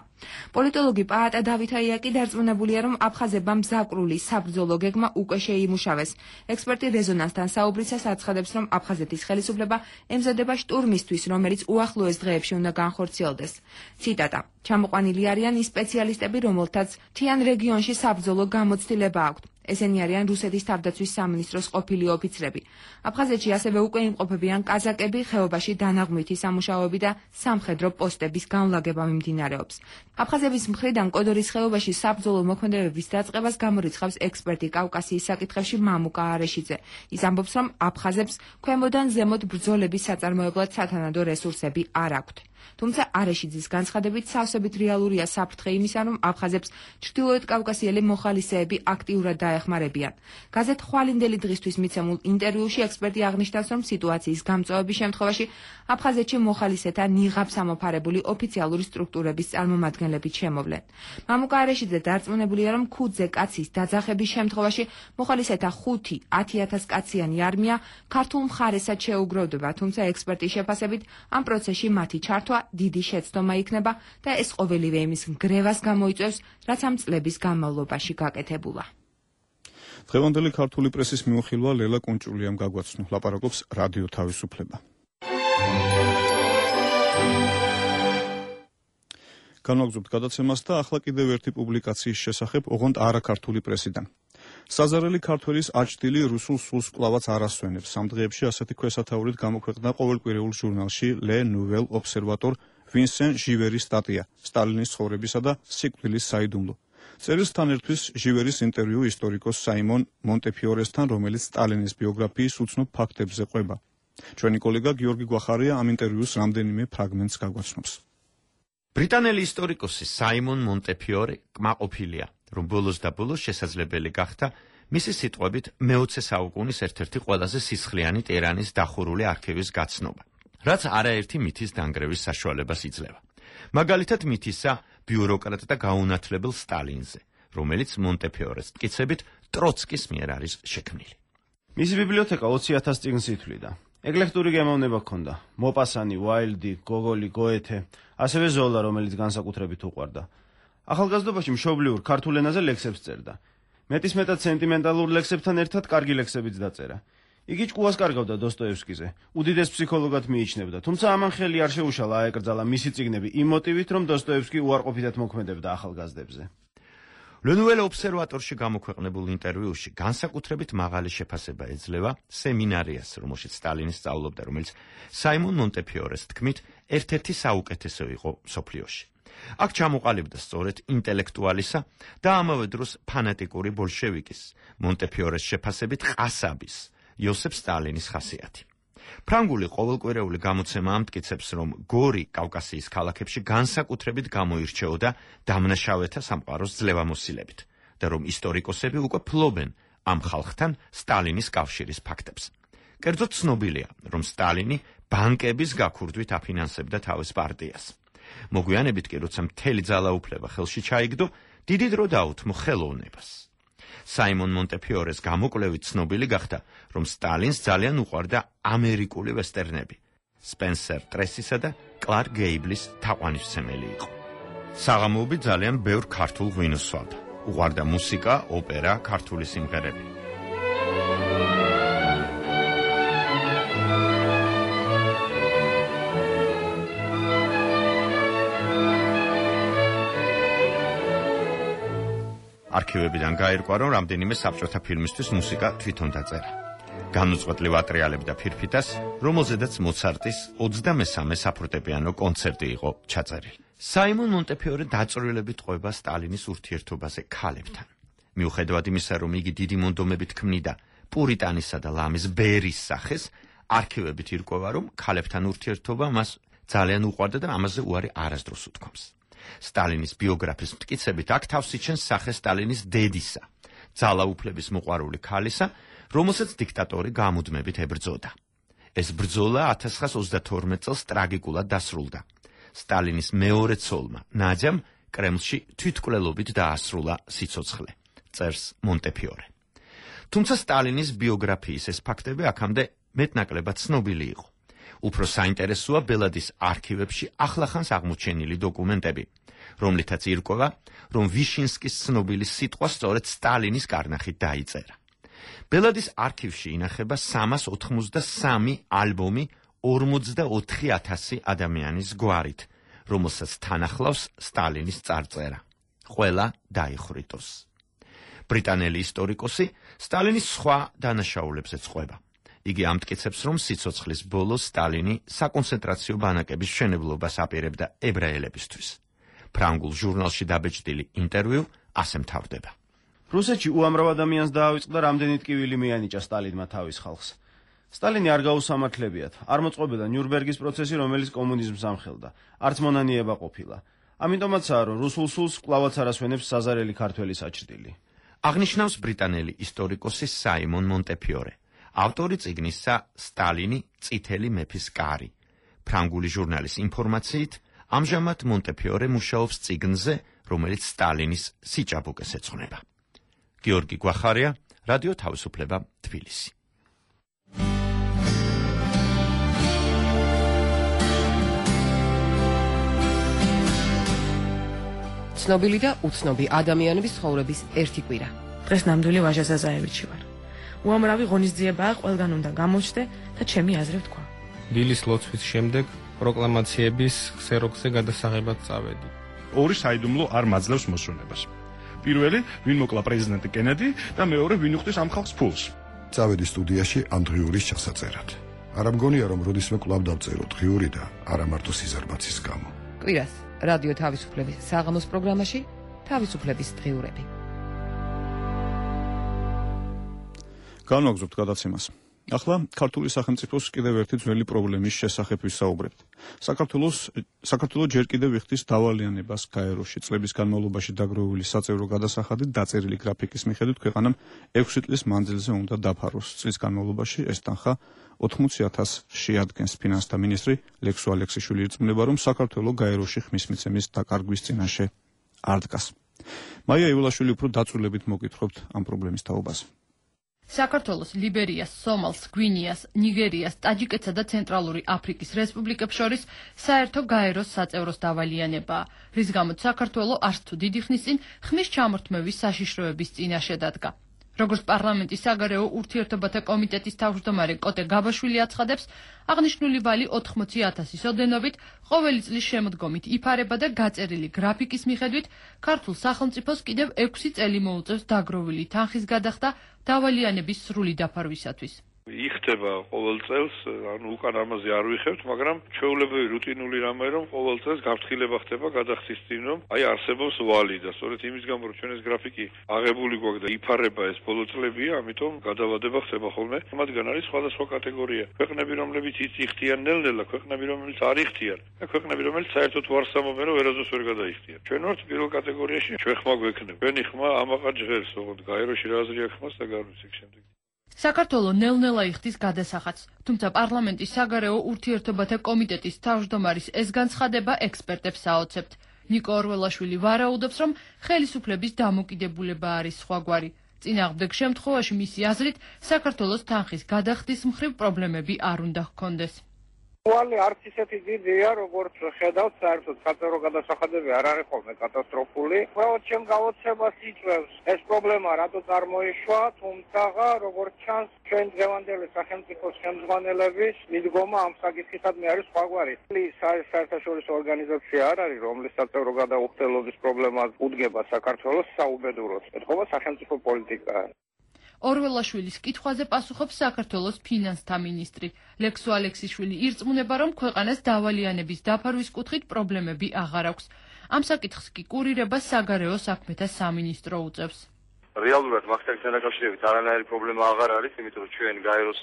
პოლიტოლოგი პაატა დავითაია კი დარწმუნებულია, რომ აფხაზებმა მზაკრული საბრძოლო გეგმა უკვე შეიმუშავეს. ექსპერტი რეზონანსთან საუბრისას აცხადებს, რომ აფხაზეთის ხელისუფლება ემზადება შტურმისთვის, რომელიც უახლოეს დღეებში უნდა განხორციელდეს. ციტატა: ჩამოყვანილი არიან ის სპეციალისტები, რომელთაც მთიან რეგიონში საბრძოლო გამოცდილება აქვთ. ესენი არიან რუსეთის თავდაცვის სამინისტროს ყოფილი ოფიცრები. აფხაზეთში ასევე უკვე იმყოფებიან კაზაკები, ხეობაში დანაღმვითი სამუშაოები და სამხედრო პოსტების განლაგება მიმდინარეობს. აფხაზების მხრიდან კოდორის ხეობაში საბრძოლო მოქმედებების დაწყებას გამორიცხავს ექსპერტი კავკასიის საკითხებში მამუკა არეშიძე. ის ამბობს, რომ აფხაზებს ქვემოდან ზემოთ ბრძოლების საწარმოებლად სათანადო რესურსები არ აქვთ. თუმცა არეშიძის განცხადებით სავსებით რეალურია საფრთხე იმისა, რომ აფხაზებს ჩრდილოეთ კავკასიელი მოხალისეები აქტიურად დაეხმარებიან. გაზეთ ხვალინდელი დღისთვის მიცემულ ინტერვიუში ექსპერტი აღნიშნავს, რომ სიტუაციის გამწვავების შემთხვევაში აფხაზეთში მოხალისეთა ნიღაბს ამოფარებული ოფიციალური სტრუქტურების წარმომადგენლებით შემოვლენ. მამუკა არეშიძე დარწმუნებულია, რომ ქუძე კაცის დაძახების შემთხვევაში მოხალისეთა 5-10,000 კაციანი არმია ქართულ მხარესად შეუგროვდება, თუმცა ექსპერტის შეფასებით ამ პროცესში მათი ჩართვა დიდი შეცდომა იქნება და ეს ყოველივე იმის ნგრევას გამოიწვევს, რაც ამ წლების განმავლობაში გაკეთებულა.
დღევანდელი ქართული პრესის მიმოხილვა ლელა კუნჭულიამ გაგვაცნო. ლაპარაკობს რადიო თავისუფლება. განვაგრძობთ გადაცემას და ახლა კიდევ ერთი პუბლიკაციის შესახებ, ოღონდ არაქართული პრესიდან. საზარელი ქართველის აჩრდილი რუსულ სულს კვლავაც არ ასვენებს. ამ დღეებში ასეთი ქვესათაურით გამოქვეყნდა ყოველკვირეულ ჟურნალში Le Nouvel Observator ვინსენ ჟივერის სტატია სტალინის ცხოვრებისა და სიკვდილის საიდუმლო. წერილთან ერთვის ჟივერის ინტერვიუ ისტორიკოს საიმონ მონტეფიორესთან, რომელიც სტალინის ბიოგრაფიის უცნობ ფაქტებზე ყვება. ჩვენი კოლეგა გიორგი გვახარია ამ ინტერვიუს რამდენიმე ფრაგმენტს გაგვაცნობს.
ბრიტანელი ისტორიკოსი საიმონ მონტეფიორე კმაყოფილია, რომ ბოლოს და ბოლოს შესაძლებელი გახდა მისი სიტყვებით მე-20 საუკუნის ერთ-ერთი ყველაზე სისხლიანი ტირანის დახურული არქივის გაცნობა, რაც არაერთი მითის დანგრევის საშუალებას იძლევა. მაგალითად მითისა ბიუროკრატ და გაუნათლებელ სტალინზე, რომელიც მონტეფიორეს მტკიცებით ტროცკის მიერ არის შექმნილი.
მისი ბიბლიოთეკა 20,000 წიგნს ითვლიდა. ეკლექტური გემოვნება ჰქონდა. მოპასანი, ვაილდი, გოგოლი, გოეთე, ასევე ზოლა, რომელიც განსაკუთრებით უყვარდა. ახალგაზრდობაში მშობლიურ ქართულ ენაზე ლექსებს წერდა. მეტისმეტად სენტიმენტალურ ლექსებთან ერთად კარგი ლექსებიც დაწერა. იგი ჭკუას კარგავდა დოსტოევსკიზე, უდიდეს ფსიქოლოგად მიიჩნევდა, თუმცა ამან ხელი არ შეუშალა აეკრძალა მისი წიგნები იმ მოტივით, რომ დოსტოევსკი უარყოფითად მოქმედებდა ახალგაზრდებზე.
Le Nouvel Observator-ში გამოქვეყნებულ ინტერვიუში განსაკუთრებით მაღალი შეფასება ეძლევა სემინარიას, რომელშიც სტალინი სწავლობდა, რომელიც საიმონ მონტეფიორეს თქმით ერთ-ერთი საუკეთესო იყო მსოფლიოში. აქ ჩამოყალიბდა სწორედ ინტელექტუალისა და ამავე დროს ფანატიკური ბოლშევიკის, მონტეფიორეს შეფასებით ყასაბის, იოსებ სტალინის ხასიათი. ფრანგული ყოველკვირეული გამოცემა ამტკიცებს, რომ გორი კავკასიის ქალაქებში განსაკუთრებით გამოირჩეოდა დამნაშავეთა სამყაროს ძლევამოსილებით და რომ ისტორიკოსები უკვე ფლობენ ამ ხალხთან სტალინის კავშირის ფაქტებს. კერძოდ ცნობილია, რომ სტალინი ბანკების გაქურდვით აფინანსებდა თავის პარტიას. მოგვიანებით კი, როცა მთელი ძალაუფლება ხელში ჩაიგდო, დიდი დრო დაუთმო ხელოვნებას. საიმონ მონტეფიორეს გამოკვლევით ცნობილი გახდა, რომ სტალინს ძალიან უყვარდა ამერიკული ვესტერნები. სპენსერ ტრესისა და კლარკ გეიბლის თაყვანისმცემელი იყო. საღამოობით ძალიან ბევრ ქართულ ღვინოს სვავდა. უყვარდა მუსიკა, ოპერა, ქართული სიმღერები. არქივებიდან გაირკვა, რომ რამდენიმე საბჭოთა ფილმისთვის მუსიკა თვითონ დაწერა. განუწყვეტლივ ატრიალებდა ფირფიტას, რომელზედაც მოცარტის 23-მე საფორტეპიანო კონცერტი იყო ჩაწერილი. საიმონ მონტეფიორე დაწვრილებით ყვება სტალინის ურთიერთობაზე ქალებთან. მიუხედავად იმისა, რომ იგი დიდი მონდომებით ქმნიდა პურიტანისა და ლამის ბერის სახეს, არქივებით ირკვევა, რომ ქალებთან ურთიერთობა მას ძალიან უყვარდა და ამაზე უარი არასდროს უთქვამს. სტალინის ბიოგრაფის მტკიცებით აქ თავს იჩენს სახე სტალინის დედისა, ძალაუფლების მოყვარული ქალისა, რომელსაც დიქტატორი გამუდმებით ებრძოდა. ეს ბრძოლა 1922 წელს ტრაგიკულად დასრულდა. სტალინის მეორე ცოლმა, ნაძამ, კრემლში თვითმკვლელობით დაასრულა სიცოცხლე, წერს მონტეფიორე. თუმცა სტალინის ბიოგრაფიის ეს ფაქტები აქამდე მეტნაკლებად ცნობილი იყო. უფრო საინტერესოა ბელადის არქივებში ახლახანს აღმოჩენილი დოკუმენტები, რომლითაც ირკვევა, რომ ვიშინსკის ცნობილი სიტყვა სწორედ სტალინის კარნახით დაიწერა. ბელადის არქივში ინახება 383 ალბომი 44,000 ადამიანის გვარით, რომელსაც თან ახლავს სტალინის წარწერა. ყველა დაიხრიტოს. ბრიტანელი ისტორიკოსი სტალინის სხვა დანაშაულებზეც ყვება. იგი ამტკიცებს, რომ სიცოცხლის ბოლოს სტალინი საკონცენტრაციო ბანაკების მშენებლობას აპირებდა ებრაელებისთვის. ფრანგულ ჟურნალში დაბეჭდილი ინტერვიუ ასე მთავრდება.
რუსეთში უამრავ ადამიანს დაავიწყდა, რამდენიც ტკივილი მიანიჭა სტალინმა თავის ხალხს. სტალინი არ გაუსამართლებიათ, არ მოწყობილდა ნიურნბერგის პროცესი, რომელიც კომუნიზმს ამხელდა, არც მონანიება ყოფილა. ამიტომაცაა, რომ რუსულ სულს კვლავაც არ ასვენებს საზარელი ქართველი საჭრდილი.
აღნიშნავს ბრიტანელი ისტორიკოსი საიმონ მონტეფიორე, ავტორი წიგნისა სტალინი წითელი მეფის კარი. ფრანგული ჟურნალის ინფორმაციით, ამჟამად მონტეფიორე მუშაობს წიგნზე, რომელიც სტალინის სიჭაბუკეს ეძღვნება. გიორგი გვახარია, რადიო თავისუფლება, თბილისი.
ცნობილი და უცნობი ადამიანების ცხოვრების ერთი კვირა.
დღეს ნამდვილი ვაჟა ზაზაევიჩი ვარ. უამრავი ღონისძიებაა, ყველგან უნდა გამოჩნდე და ჩემი აზრი ვთქვა.
დილის ლოცვის შემდეგ პროკლამაციების ქსეროქსზე გადასაღებად წავედი.
ორი საიდუმლო არ მაძლევს მოსვენებას. პირველი, ვინ მოკლა პრეზიდენტი კენედი და მეორე, ვინ უხდის ამ ხალხს ფულს.
წავედი სტუდიაში ანდრიურის ჩასაწერად. არ ამგონია, რომ როდისმე კვლავ დავწერო დღიური და არა მარტო სიზარმაცის გამო.
კვირას რადიო თავისუფლების საღამოს პროგრამაში თავისუფლების დღიურები.
განვაგრძობთ გადაცემას. ახლა ქართული სახელმწიფოს კიდევ ერთი ძველი პრობლემის შესახებ ვისაუბრებთ. საქართველო ჯერ კიდევ იხდის დავალიანებას გაეროში. წლების განმავლობაში დაგროვილი საწევრო გადასახადი დაწერილი გრაფიკის მიხედვით ქვეყანამ 6 წლის მანძილზე უნდა დაფაროს. წლის განმავლობაში ეს თანხა 80,000 შეადგენს. ფინანსთა მინისტრი ლექსო ალექსიშვილი ირწმუნება, რომ საქართველო გაეროში ხმის მიცემის დაკარგვის წინაშე არ დგას. მაია იულაშვილი უფრო დაწვრილებით მოგვითხრობთ ამ პრობლემის თაობას.
საქართველოს, ლიბერიას, სომალს, გვინეას, ნიგერიას, ტაჯიკეთსა და ცენტრალური აფრიკის რესპუბლიკებს შორის საერთო გაეროს საწევროს დავალიანებაა, რის გამოც საქართველო არც თუ დიდი ხნის წინ ხმის ჩამორთმევის საშიშროების წინაშე დადგა. როგორც პარლამენტის საგარეო ურთიერთობათა კომიტეტის თავმჯდომარე კოტე გაბაშვილი აცხადებს, აღნიშნული ვალი 80,000-ის ოდენობით ყოველი წლის შემოდგომით იფარება და გაწერილი გრაფიკის მიხედვით ქართულ სახელმწიფოს კიდევ 6 წელი მოუწევს დაგროვილი თანხის გადახდა დავალიანების სრული დაფარვისათვის.
იხდება ყოველ წელს, ანუ უკან ამაზე არ ვიხევთ, მაგრამ ჩვეულებრივი რუტინული რამე რომ ყოველ წელს გაფრთხილება ხდება გადახდის წინ, რომ აი არსებობს ვალი და სწორედ იმის გამო რომ ჩვენ ეს გრაფიკი აღებული გვაქვს და იფარება ეს ბოლო წლებია, ამიტომ გადავადება ხდება ხოლმე. მათგან არის სხვადასხვა კატეგორია. ქვეყნები, რომლებიც იხდიან ნელ-ნელა, ქვეყნები, რომლებიც არ იხდიან და ქვეყნები, რომლებიც საერთოდ ვარსამობენ, რომ ვერასდროს ვერ გადაიხდიან. ჩვენ ვართ პირველ კატეგორიაში, ჩვენ ხმა გვექნება. ჩვენი ხმა ამაყად ჟღერს, ოღონდ გაეროში რა აზრი აქვს ხმას და გარვის ეგ შემდეგ.
საქართველო ნელ-ნელა იხდის გადასახადს, თუმცა პარლამენტის საგარეო ურთიერთობათა კომიტეტის თავმჯდომარის ეს განცხადება ექსპერტებს აოცებთ. ნიკო ორველაშვილი ვარაუდობს, რომ ხელისუფლების დამოკიდებულება არის სხვაგვარი. წინააღმდეგ შემთხვევაში მისი აზრით, საქართველოს თანხის გადახდის მხრივ პრობლემები არ უნდა ჰქონდეს.
ვალი არც ისეთი დიდია, როგორც ხედავთ, საერთოდ საწევრო გადასახადები არ არის ხოლმე კატასტროფული. უბრალოდ ჩემ გავოცებას იწვევს ეს პრობლემა რატო წარმოიშვა, თუმცა როგორც ჩანს, ჩვენ დღევანდელი სახელმწიფოს ხელმძღვანელების მიდგომა ამ საკითხისადმი არის სხვაგვარი. საერთაშორისო ორგანიზაცია არ არის, რომლის საწევრო გადაუხდელობის პრობლემას უდგება საქართველოს საუბედუროდ. ეთქობა სახელმწიფო პოლიტიკა.
ორველაშვილის კითხვაზე პასუხობს საქართველოს ფინანსთა მინისტრი. ლექსო ალექსიშვილი ირწმუნება, რომ ქვეყანას დავალიანების დაფარვის კუთხით პრობლემები აღარ აქვს. ამ საკითხს კი კურირებას საგარეო საქმეთა სამინისტრო უწევს.
რეალურად მასთან დაკავშირებით არანაირი პრობლემა აღარ არის, იმიტომ რომ ჩვენ გაეროს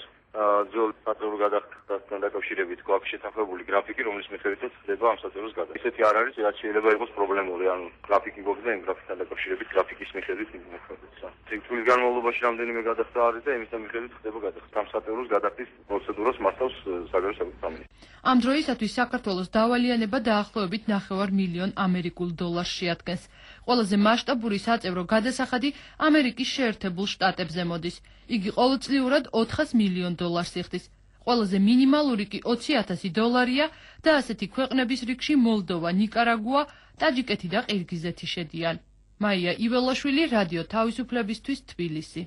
ძველ საწევრო გადახდასთან დაკავშირებით გვაქვს შეთანხმებული გრაფიკი, რომლის მიხედვითაც ხდება ამ საწევროს გადახდა. ისეთი არ არის, რაც შეიძლება იყოს პრობლემური, ანუ გრაფიკი გვაქვს და იმ გრაფიკთან დაკავშირებით გრაფიკის მიხედვით იმოქმედებს. წლის განმავლობაში რამდენიმე გადახდა არის და იმისთან მიხედვით ხდება გადახდა. ამ საწევროს გადახდის პროცედურას მართავს საგარეო საქმეთა სამინისტრო.
ამ დროისათვის საქართველოს დავალიანება დაახლოებით 9 მილიონ ამერიკულ დოლარს შეადგენს. ყველაზე მასშტაბური საწევრო გადასახადი ამერიკის შეერთებულ შტატებზე მოდის. იგი ყოველწლიურად 400 მილიონ დოლარს იხდის. ყველაზე მინიმალური კი 20,000 დოლარია და ასეთი ქვეყნების რიგში მოლდოვა, ნიკარაგუა, ტაჯიკეთი და ყირგიზეთი შედიან. მაია იველაშვილი, რადიო თავისუფლებისთვის, თბილისი.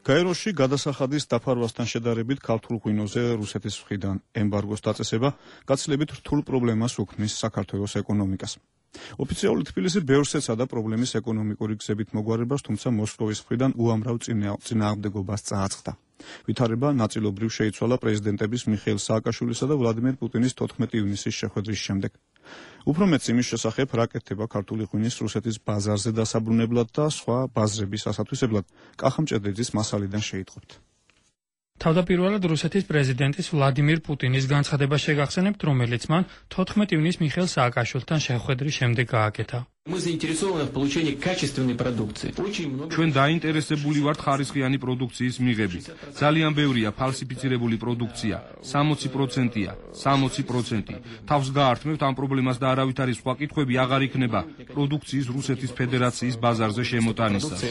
გაეროში გადასახადის დაფარვასთან შედარებით ქართულ ღვინოზე რუსეთის მხრიდან ემბარგოს დაწესება გაცილებით რთულ პრობლემას უქმნის საქართველოს ეკონომიკას. ოფიციალური თბილისი ბევრს ეცადა პრობლემის ეკონომიკური გზებით მოგვარებას, თუმცა მოსკოვის მხრიდან უამრავ წინააღმდეგობას წააწყდა. ვითარება ნაწილობრივ შეიცვალა პრეზიდენტების მიხეილ სააკაშვილისა და ვლადიმერ პუტინის 14 ივნისის შეხვედრის შემდეგ. უფრო მეც იმის შესახებ, რა კეთდება ქართული ღვინის რუსეთის ბაზარზე დასაბრუნებლად და სხვა ბაზრების ასათვისებლად, კახა მჭედლიძის მასალიდან შეიტყობთ.
თავდაპირველად რუსეთის პრეზიდენტის ვლადიმირ პუტინის განცხადება შეგახსენებთ, რომელიც მან 14 ივნისს მიხეილ სააკაშვილთან შეხვედრის შემდეგ გააკეთა.
ჩვენ დაინტერესებული ვართ ხარისხიანი პროდუქციის მიღებით. ძალიან ბევრია ფალსიფიცირებული პროდუქცია, 60%-ია, 60%. თავს გაართმევთ ამ პრობლემას და არავით არის სხვა კითხვები აღარ იქნება პროდუქციის რუსეთის ფედერაციის ბაზარზე შემოტანისას.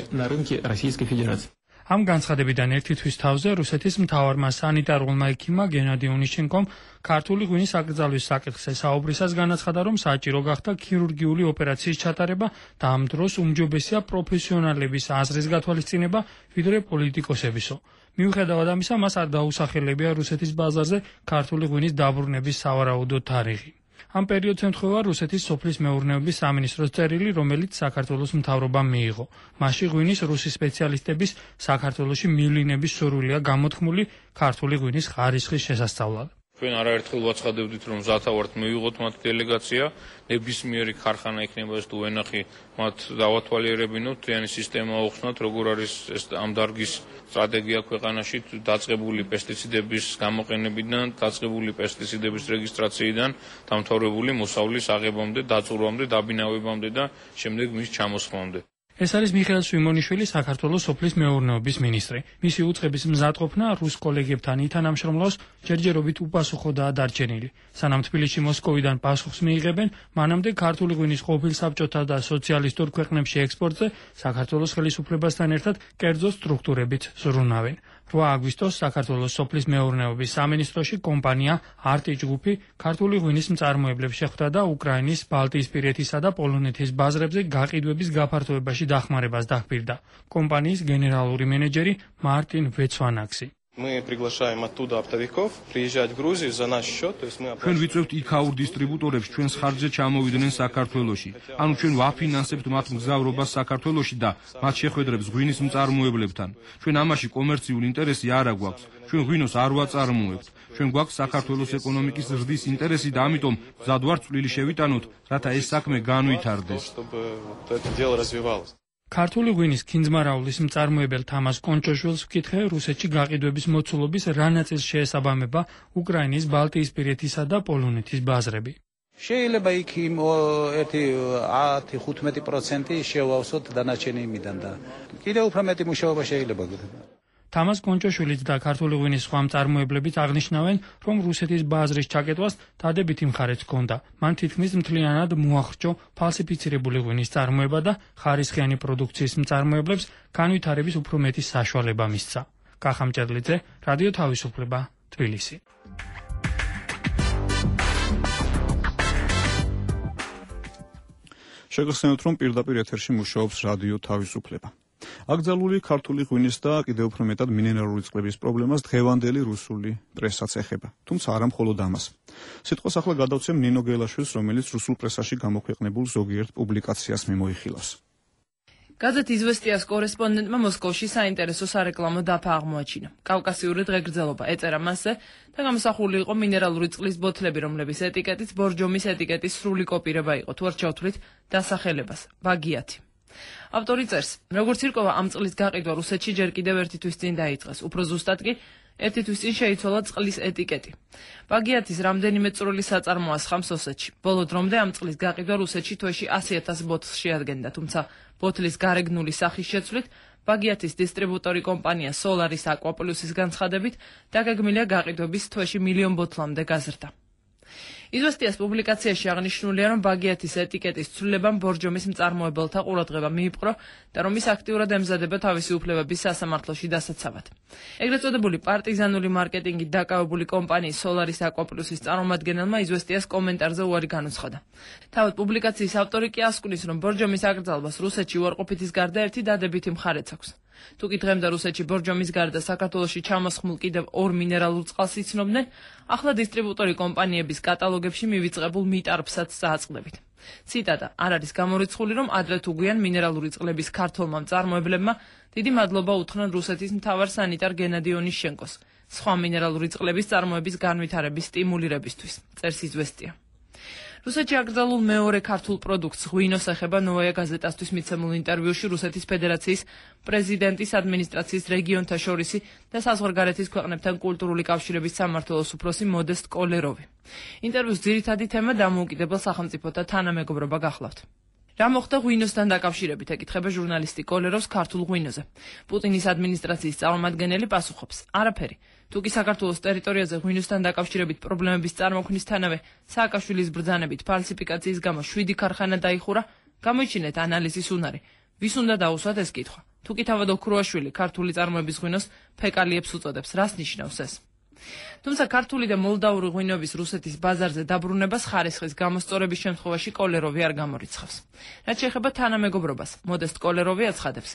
ამ განცხადებიდან ერთი თვის თავზე რუსეთის მთავარმა სანიტარულმა ექიმმა გენადი ონიშჩენკომ ქართული ღვინის აკრძალვის საკითხზე საუბრისას განაცხადა, რომ საჭირო გახდა ქირურგიული ოპერაციის ჩატარება და ამ დროს უმჯობესია პროფესიონალების აზრის გათვალისწინება ვიდრე პოლიტიკოსებისო. მიუხედავად ამისა, მას არ დაუსახელებია რუსეთის ბაზარზე ქართული ღვინის დაბრუნების სავარაუდო თარიღი. ამ პერიოდს ემთხვევა რუსეთის სოფლის მეურნეობის სამინისტროს წერილი, რომელიც საქართველოს მთავრობამ მიიღო. მასში ღვინის რუსი სპეციალისტების საქართველოში მივლინების სურვილია გამოთქმული ქართული ღვინის ხარისხის შესასწავლად.
ჩვენ არაერთხელ ვაცხადებდით, რომ ზათავართ მივიღოთ მათ დელეგაცია, ნებისმიერი ქარხანა იქნება ეს თუ ვენახი, მათ დავათვალიერებინოთ, თვიანი სისტემა აუხსნათ, როგორ არის ეს ამ დარგის სტრატეგია ქვეყანაში დაწყებული პესტიციდების გამოყენებიდან, დაწყებული პესტიციდების რეგისტრაციიდან, დამთავრებული მოსავლის აღებამდე, დაწურვამდე, დაბინავებამდე და შემდეგ მის ჩამოსხმამდე.
ეს არის მიხეილ სვიმონიშვილი, საქართველოს სოფლის მეურნეობის მინისტრი. მისი უწყების მზადყოფნა რუს კოლეგებთან ითანამშრომლავს ჯერჯერობით უპასუხოდაა დარჩენილი. სანამ თბილისში მოსკოვიდან პასუხს მიიღებენ, მანამდე ქართული ღვინის ყოფილ საბჭოთა და სოციალისტურ ქვეყნებში ექსპორტზე საქართველოს ხელისუფლებასთან ერთად კერძო სტრუქტურებით ზრუნავენ. 8 აგვისტოს საქართველოს სოფლის მეურნეობის სამინისტროში კომპანია არტი ჯგუფი ქართული ღვინის მწარმოებლებს შეხვდა და უკრაინის, ბალტიისპირეთისა და პოლონეთის ბაზრებზე გაყიდვების გაფართოებაში დახმარებას დახბირდა. კომპანიის გენერალური მენეჯერი მარტინ ვეცვანაქსი.
Мы приглашаем оттуда оптовиков приезжать в Грузию за наш счет, то есть мы
ჩვენ ვიწევთ იქაურ დისტრიბუტორებს ჩვენს ხარჯზე ჩამოვიდნენ საქართველოში. ანუ ჩვენ ვაფინანსებთ მათ მგზავრობას საქართველოში და მათ შეხვედრებს ღვინის მწარმოებლებთან. ჩვენ ამაში კომერციულ ინტერესი არ აგვაქვს. ჩვენ ღვინოს არ ვაწარმოებთ. ჩვენ გვაქვს საქართველოს ეკონომიკის ზრდის ინტერესი და ამიტომ მზად ვართ წვლილი შევიტანოთ, რათა ეს საქმე განვითარდეს. ქართული ღვინის ქინძმარაულის მწარმოებელ თამაზ კონჭოშვილს ვკითხე, რუსეთში გაყიდვების მოცულობის რა ნაწილს შეესაბამება უკრაინის, ბალტიისპირეთისა და პოლონეთის ბაზრები.
შეიძლება იქ 10-15% შევავსოთ დანარჩენი იმიდან და კიდევ უფრო მეტი მუშაობა შეიძლება.
თამაზ კონჭოშვილიც და ქართული ღვინის სხვა მწარმოებლებიც აღნიშნავენ, რომ რუსეთის ბაზრის ჩაკეტვას დადებითი მხარეც ჰქონდა. მან თითქმის მთლიანად მოახრჭო ფალსიფიცირებული ღვინის წარმოება და ხარისხიანი პროდუქციის მწარმოებლებს განვითარების უფრო მეტი საშუალება მისცა. კახა მჭედლიძე, რადიო თავისუფლება, თბილისი.
შეგახსენოთ, რომ პირდაპირ ეთერში მუშაობს რადიო თავისუფლება. აკრძალული ქართული ღვინის და კიდევ უფრო მეტად მინერალური წყლების პრობლემას დღევანდელი რუსული პრესაც ეხება. თუმცა არა მხოლოდ ამას. სიტყვას ახლა გადავცემ ნინო გელაშვილს, რომელიც რუსულ პრესაში გამოქვეყნებულ ზოგიერთ პუბლიკაციას მიმოიხილავს.
გაზეთ „იზვესტიას“ კორესპონდენტმა მოსკოვში საინტერესო სარეკლამო დაფა აღმოაჩინა. კავკასიური დღეგრძელობა ეწერა მასზე და გამოსახული იყო მინერალური წყლის ბოთლები, რომლების ეტიკეტიც ბორჯომის ეტიკეტის სრული კოპირება იყო. თუ არ ჩავთვლით დასახელებას ბაგიათი. ავტორი წერს, როგორც ირკვევა, ამ წყლის გაყიდვა რუსეთში ჯერ კიდევ ერთი თვის წინ დაიწყეს. უფრო ზუსტად კი ერთი თვის წინ შეიცვალა წყლის ეტიკეტი. ბაგიათის რამდენიმე წვრილი საწარმოა სხამს ოსეთში. ბოლო დრომდე ამ წყლის გაყიდვა რუსეთში თვეში 100,000 ბოთლს შეადგენდა, თუმცა ბოთლის გარეგნული სახის შეცვლით ბაგიათის დისტრიბუტორი კომპანია Solaris Aqua Plus-ის განცხადებით დაგეგმილია გაყიდვების თვეში 1,000,000 ბოთლამდე გაზრდა. იზვესტიას პუბლიკაციაში აღნიშნულია, რომ ბაგიათის ეტიკეტის ცვლილებამ ბორჯომის მწარმოებელთა ყურადღება მიიპყრო და რომ ის აქტიურად ემზადება თავისი უფლებების სასამართლოში დასაცავად. ეგრეთ წოდებული პარტიზანული მარკეტინგით დაკავებული კომპანიის Solaris Aqua Plus-ის წარმომადგენელმა იზვესტიას კომენტარზე უარი განუცხადა. თავად პუბლიკაციის ავტორი კი ასკვნის, რომ ბორჯომის აკრძალვას რუსეთში უარყოფითის გარდა ერთი დადებითი მხარეც აქვს. თუკი დღემდე რუსეთში ბორჯომის გარდა საქართველოში ჩამოსხმულ კიდევ 2 მინერალურ წყალს იცნობდნენ, ახლა დისტრიბუტორი კომპანიების კატალოგებში მივიწყებულ მიტარფსაც წააწყდებით. ციტატა: არ არის გამორიცხული, რომ ადრე თუ გვიან მინერალური წყლების ქართველმა მწარმოებლებმა დიდი მადლობა უთხრან რუსეთის მთავარ სანიტარ გენადი ონიშჩენკოს სხვა მინერალური წყლების წარმოების განვითარების სტიმულირებისთვის. წერს იზვესტია. რუსეთში აკრძალულ მეორე ქართულ პროდუქტს ღვინოს ეხება ნოვაია გაზეტასთვის მიცემულ ინტერვიუში რუსეთის ფედერაციის პრეზიდენტის ადმინისტრაციის რეგიონთა შორისი და საზღვარგარეთის ქვეყნებთან კულტურული კავშირების სამმართველოს უფროსი მოდესტ კოლეროვი. ინტერვიუს ძირითადი თემა დამოუკიდებელ სახელმწიფოთა თანამეგობრობა გახლავთ. რა მოხდა ღვინოსთან დაკავშირებით, ეკითხება ჟურნალისტი კოლეროვს ქართულ ღვინოზე. პუტინის ადმინისტრაციის წარმომადგენელი პასუხობს: არაფერი. თუკი საქართველოს ტერიტორიაზე ღვინოსთან დაკავშირებით პრობლემების წარმოქმნისთანავე სააკაშვილის ბრძანებით ფალსიფიკაციის გამო 7 ქარხანა დაიხურა, გამოიჩინეთ ანალიზის უნარი. ვის უნდა დაუსვათ ეს კითხვა? თუკი თავად ოქროაშვილი ქართული წარმოების ღვინოს ფეკალიებს უწოდებს, რას ნიშნავს ეს? თუმცა ქართული და მოლდავური ღვინოების რუსეთის ბაზარზე დაბრუნებას ხარისხის გამოსწორების შემთხვევაში კოლეროვი არ გამორიცხავს. რაც შეეხება თანამეგობრობას, მოდესტ კოლეროვი აცხადებს: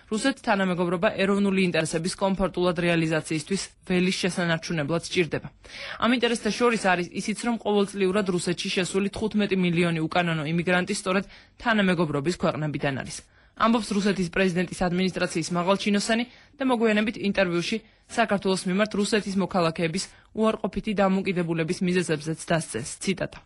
რუსეთს თანამეგობრობა ეროვნული ინტერესების კომფორტულად რეალიზაციისთვის ველის შესანარჩუნებლად სჭირდება. ამ ინტერესთა შორის არის ისიც, რომ ყოველწლიურად რუსეთში შესული 15 მილიონი უკანონო იმიგრანტი სწორედ თანამეგობრობის ქვეყნებიდან არის. ამბობს რუსეთის პრეზიდენტის ადმინისტრაციის მაღალჩინოსანი და მოგვიანებით ინტერვიუში საქართველოს მიმართ რუსეთის მოქალაქეების უარყოფითი დამოუკიდებულების მიზეზებზეც დასცეს. ციტატა: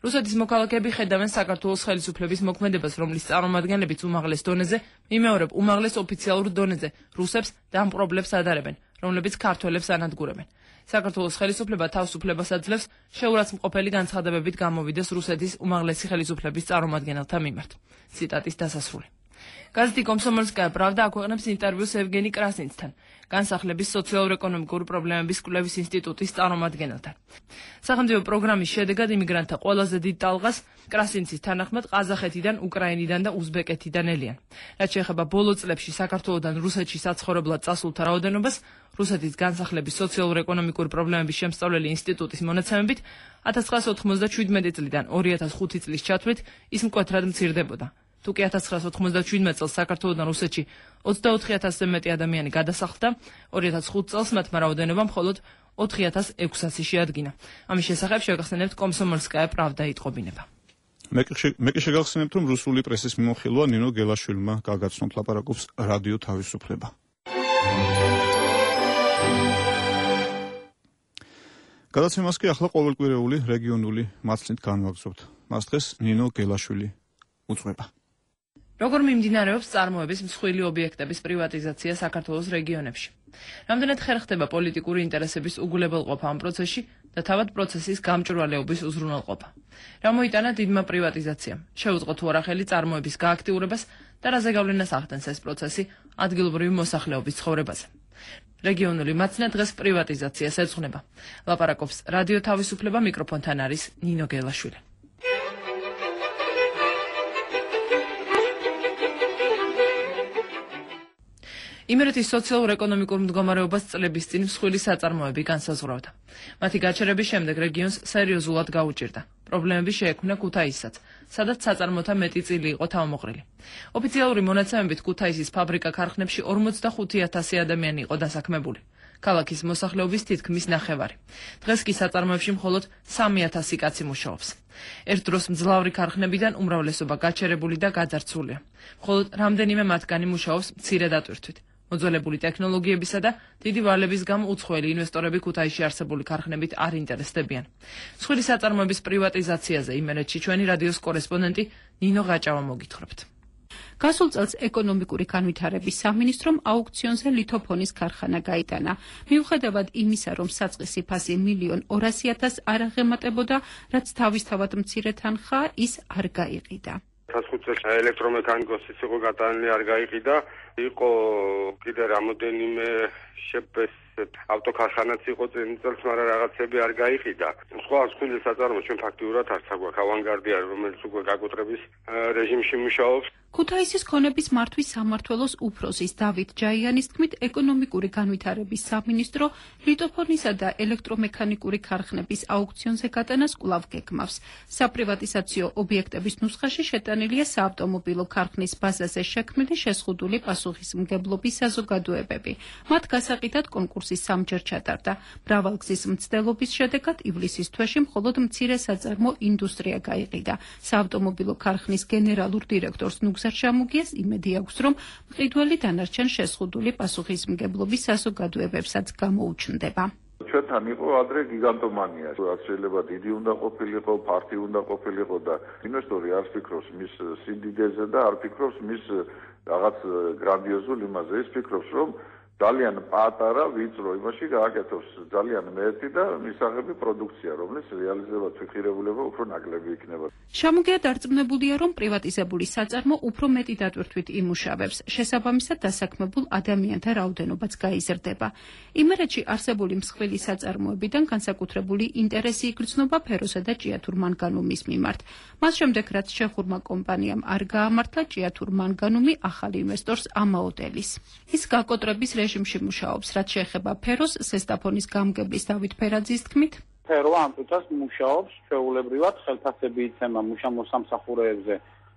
რუსეთის მოქალაქეები ხედავენ საქართველოს ხელისუფლების მოქმედებას, რომლის წარმომადგენლებიც უმაღლეს დონეზე, მიმეორებ უმაღლეს ოფიციალურ დონეზე რუსებს და ამ პრობლემებს ადარებენ, რომლებიც ქართველებს ანადგურებენ. საქართველოს ხელისუფლება თავს უფლებას აძლევს შეურაცხმყოფელი განცხადებებით გამოვიდეს რუსეთის უმაღლესი ხელისუფლების წარმომადგენელთა მიმართ. ციტატის დასასრული. გაზეთი კომსომოლსკაია პრავდა აქვეყნებს ინტერვიუს ევგენი კრასინცთან, განსახლების სოციალურ-ეკონომიკური პრობლემების კვლევის ინსტიტუტის წარმომადგენელთან. სახელმწიფო პროგრამის შედეგად იმიგრანტთა ყველაზე დიდ ტალღას კრასინცის თანახმად ყაზახეთიდან, უკრაინიდან და უზბეკეთიდან ელიან. რაც შეეხება ბოლო წლებში საქართველოსთან რუსეთში საცხოვრებლად წასულთა რაოდენობას, რუსეთის განსახლების სოციალურ-ეკონომიკური პრობლემების შემსწავლელი ინსტიტუტის მონაცემებით 1997 წლიდან 2005 წლის ჩათვლით ის მკვეთრად მცირდებოდა. თუკი 1997 წელს საქართველოსთან რუსეთში 24,000-ზე მეტი ადამიანი გადასახლდა, 2005 წელს მათმა რაოდენობა მხოლოდ 4,600 შეადგინა. ამის შესახებ შევახსენებთ კომსომოლსკაია პრავდა იტყობინება.
მე კი შეგახსენებთ, რომ რუსული პრესის მიმოხილვა ნინო გელაშვილმა გაგაცნოთ ლაპარაკობს რადიო თავისუფლება. გადაცემას კი ახლა ყოველკვირეული რეგიონული მაცლით განვაგრძობთ. მას დღეს ნინო გელაშვილი უძღვება.
როგორ მიმდინარეობს წარმოების მსხვილი ობიექტების პრივატიზაცია საქართველოს რეგიონებში? რამდენად ხერხდება პოლიტიკური ინტერესების უგულებელყოფა ამ პროცესში და თავად პროცესის გამჭვირვალეობის უზრუნველყოფა? რა მოიტანა დიდმა პრივატიზაციამ? შეუწყო თუ არა ხელი წარმოების გააქტიურებას და რაზე გავლენას ახდენს ეს პროცესი ადგილობრივი მოსახლეობის ცხოვრებაზე? რეგიონული მაცნა დღეს პრივატიზაციას ეძღვნება. ლაპარაკობს რადიო თავისუფლება, მიკროფონთან არის ნინო გელაშვილი. იმერეთის სოციალურ-ეკონომიკურ მდგომარეობას წლების წინ მსხვილი საწარმოები განსაზღვრავდა. მათი გაჩერების შემდეგ რეგიონს სერიოზულად გაუჭირდა. პრობლემები შეექმნა ქუთაისსაც, სადაც საწარმოთა მეტი წილი იყო თავმოყრილი. ოფიციალური მონაცემებით ქუთაისის ფაბრიკა-ქარხნებში 45,000 ადამიანი იყო დასაქმებული. ქალაქის მოსახლეობის თითქმის ნახევარი. დღეს კი საწარმოებში მხოლოდ 3,000 კაცი მუშაობს. ერთ დროს მძლავრი ქარხნებიდან უმრავლესობა გაჩერებული და გაძარცვულია. მხოლოდ რამდენიმე მათგანი მუშაობს მცირე დატვირთვით. მოძველებული ტექნოლოგიებისა და დიდი ვალების გამო უცხოელი ინვესტორები ქუთაისში არსებული ქარხნებით არ ინტერესდებიან. მსხვილი საწარმოების პრივატიზაციაზე იმერეთში ჩვენი რადიოს კორესპონდენტი ნინო გაჭავა მოგითხრობთ.
გასულ წელს ეკონომიკური განვითარების სამინისტრომ აუქციონზე ლითოფონის ქარხანა გაიტანა. მიუხედავად იმისა, რომ საწყისი ფასი 1,200,000 არ აღემატებოდა, რაც თავისთავად მცირე თანხა, ის არ გაიყიდა.
5 წელს ელექტრომექანიკოსიც იყო გატანილი, არ გაიყიდა. იყო კიდე რამოდენიმე ავტოქარხანაც იყო წელს, მაგრამ რაღაცები არ გაიყიდა. სხვა მსხვილი საწარმო ჩვენ ფაქტიურად არც აგვაქვს. ავანგარდია, რომელიც უკვე გაკუთრების რეჟიმში მუშაობს.
ქუთაისის ქონების მართვის სამმართველოს უფროსის დავით ჯაიანის თქმით, ეკონომიკური განვითარების სამინისტრო ლითოფონისა და ელექტრომექანიკური ქარხნების აუქციონზე გატანას კვლავ გეგმავს. საპრივატიზაციო ობიექტების ნუსხაში შეტანილია საავტომობილო ქარხნის ბაზაზე შექმნილი შეზღუდული პასუხისმგებლობის საზოგადოებები. მათ გასაყიდად კონკურსი სამჯერ ჩატარდა. მრავალგზის მცდელობის შედეგად ივლისის თვეში მხოლოდ მცირე საწარმო ინდუსტრია გაიყიდა. საავტომობილო ქარხნის გენერალურ დირექტორს ჩამოგიას იმედი აქვს, რომ მყიდველი დანარჩენ შეზღუდული პასუხისმგებლობის საზოგადოებებსაც გამოუჩნდება.
ჩვენთან იყო ადრე გიგანტომანია, რაც შეიძლება დიდი უნდა ყოფილიყო, ფართი უნდა ყოფილიყო და ინვესტორი არ ფიქრობს მის სიდიდეზე და არ ფიქრობს მის რაღაც გრანდიოზულ იმაზე, ის ფიქრობს, რომ ძალიან პატარა ვიწრო იმაში გააკეთოს ძალიან მეტი და მისაღები პროდუქცია, რომლის რეალიზებას ფიქრებულება უფრო ნაკლები იქნება.
შემოგია დარწმუნებულია, რომ პრივატიზებული საწარმო უფრო მეტი დატვირთვით იმუშავებს, შესაბამისად დასაქმებულ ადამიანთა რაოდენობაც გაიზრდება. იმერეთში არსებული მსხვილი საწარმოებიდან განსაკუთრებული ინტერესი იგრძნობა ფეროსა და ჭიათურ მანგანუმის მიმართ. მას შემდეგ, რაც ჩეხურმა კომპანიამ არ გაამართლა ჭიათურ მანგანუმი ახალ ინვესტორს ამაოდელის. ის გაკოტრების რეჟიმში მუშაობს, რაც შეეხება ფეროს, სესტაფონის გამგებლის დავით ფერაძის თქმით.
ფერო ამ წუთას მუშაობს, ჩვეულებრივად ხელფასები იცემა მუშამოსამსახურეებზე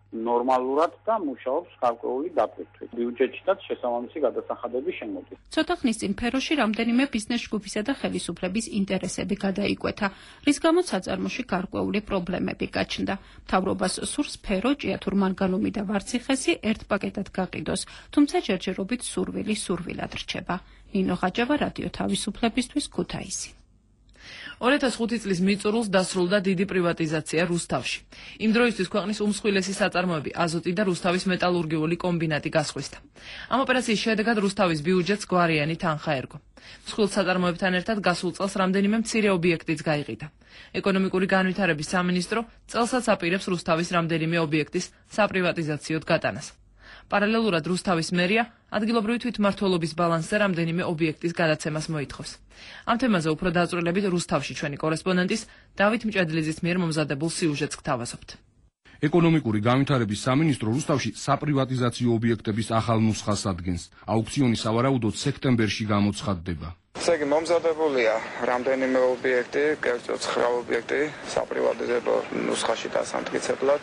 ნორმალურად და მუშაობს გარკვეული დატვირთვით. ბიუჯეტშიც შესაბამისი გადასახადები შემოდის.
ცოტა ხნის წინ ფეროში რამდენიმე ბიზნეს ჯგუფისა და ხელისუფლების ინტერესები გადაიკვეთა, რის გამოც საწარმოში გარკვეული პრობლემები გაჩნდა. მთავრობას სურს ფერო, ჭიათურ მანგანუმი და ვარციხესი ერთ პაკეტად გაყიდოს, თუმცა ჯერჯერობით სურვილად რჩება. ნინო ხაჯავა, რადიო თავისუფლებისთვის, ქუთაისი.
2005 წლის მიწურულს დასრულდა დიდი პრივატიზაცია რუსთავში. იმ დროისთვის ქვეყნის უმსხვილესი საწარმოები აზოტი და რუსთავის მეტალურგიული კომბინატი გასხვისდა. ამ ოპერაციის შედეგად რუსთავის ბიუჯეტს გვარიანი თანხა ერგო. მსხვილ საწარმოებთან ერთად გასულ წელს რამდენიმე მცირე ობიექტიც გაიყიდა. ეკონომიკური განვითარების სამინისტრო წელსაც აპირებს რუსთავის რამდენიმე ობიექტის საპრივატიზაციოდ გატანას. პარალელურად რუსთავის მერია ადგილობრივი თვითმმართველობის ბალანსზე რამდენიმე ობიექტის გადაცემას მოითხოვს. ამ თემაზე უფრო დაწვრილებით რუსთავში ჩვენი კორესპონდენტის დავით მჭედლიძის მიერ მომზადებულ სიუჟეტს გთავაზობთ.
ეკონომიკური განვითარების სამინისტრო რუსთავში საპრივატიზაციო ობიექტების ახალ ნუსხას ადგენს. აუქციონი სავარაუდოდ სექტემბერში გამოცხადდება.
ესე იგი მომზადებულია რამდენიმე ობიექტი, კერძოდ 9 ობიექტი საპრივატიზებო ნუსხაში დასამტკიცებლად,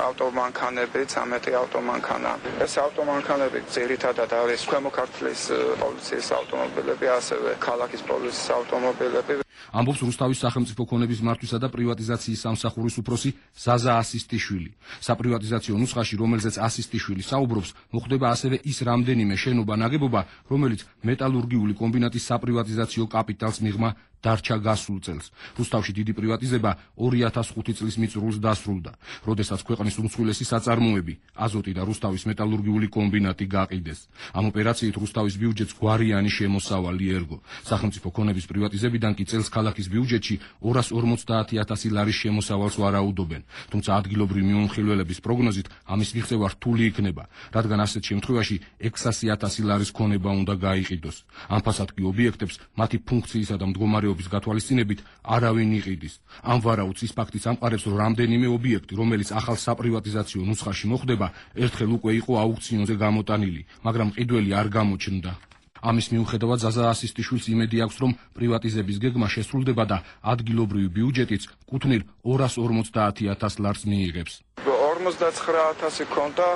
ავტომანქანები, 13 ავტომანქანა. ეს ავტომანქანები ძირითადად არის ქვემო ქართლის პოლიციის ავტომობილები, ასევე ქალაქის პოლიციის ავტომობილები.
ამბობს რუსთავის სახელმწიფო ქონების მართვისა და პრივატიზაციის სამსახურის უფროსი ზაზა ასისტიშვილი. საპრივატიზაციო ნუსხაში, რომელზეც ასისტიშვილი საუბრობს, მოხდება ასევე ის რამდენიმე შენობა-ნაგებობა, რომელიც მეტალურგიული კომბინატის საპრივატიზაციო კაპიტალს მიღმა დარჩა გასულ წელს. რუსთავში დიდი პრივატიზება 2005 წლის მიწურულს დასრულდა, როდესაც ქვეყნის უმსხვილესი საწარმოები აზოტი და რუსთავის მეტალურგიული კომბინატი გაყიდეს. ამ ოპერაციით რუსთავის ბიუჯეტს გვარიანი შემოსავალი ერგო. სახელმწიფო ქონების პრივატიზებიდან კი წელს ქალაქის ბიუჯეტში 250.000 ლარის შემოსავალს ვარაუდობენ, თუმცა ადგილობრივი მიმოხილველების პროგნოზით ამის მიღწევა რთული იქნება, რადგან ასეთ შემთხვევაში 600.000 ლარის ქონება უნდა გაიყიდოს. ამ ფასად კი ობიექტებს მათი ფუნქციისა და მდგომარეობის გათვალისწინებით არავინ იყიდის. ამ ვარაუდს ის ფაქტიც ამყარებს, რომ რამდენიმე ობიექტი, რომელიც ახალ საპრივატიზაციო ნუსხაში მოხდება, ერთხელ უკვე იყო აუქციონზე გამოტანილი, მაგრამ მყიდველი არ გამოჩნდა. ამის მიუხედავად ზაზა ასისტიშვილს იმედი აქვს, რომ პრივატიზების გეგმა შესრულდება და ადგილობრივი ბიუჯეტიც კუთვნილ 250.000 ლარს მიიღებს.
59.000 ქონდა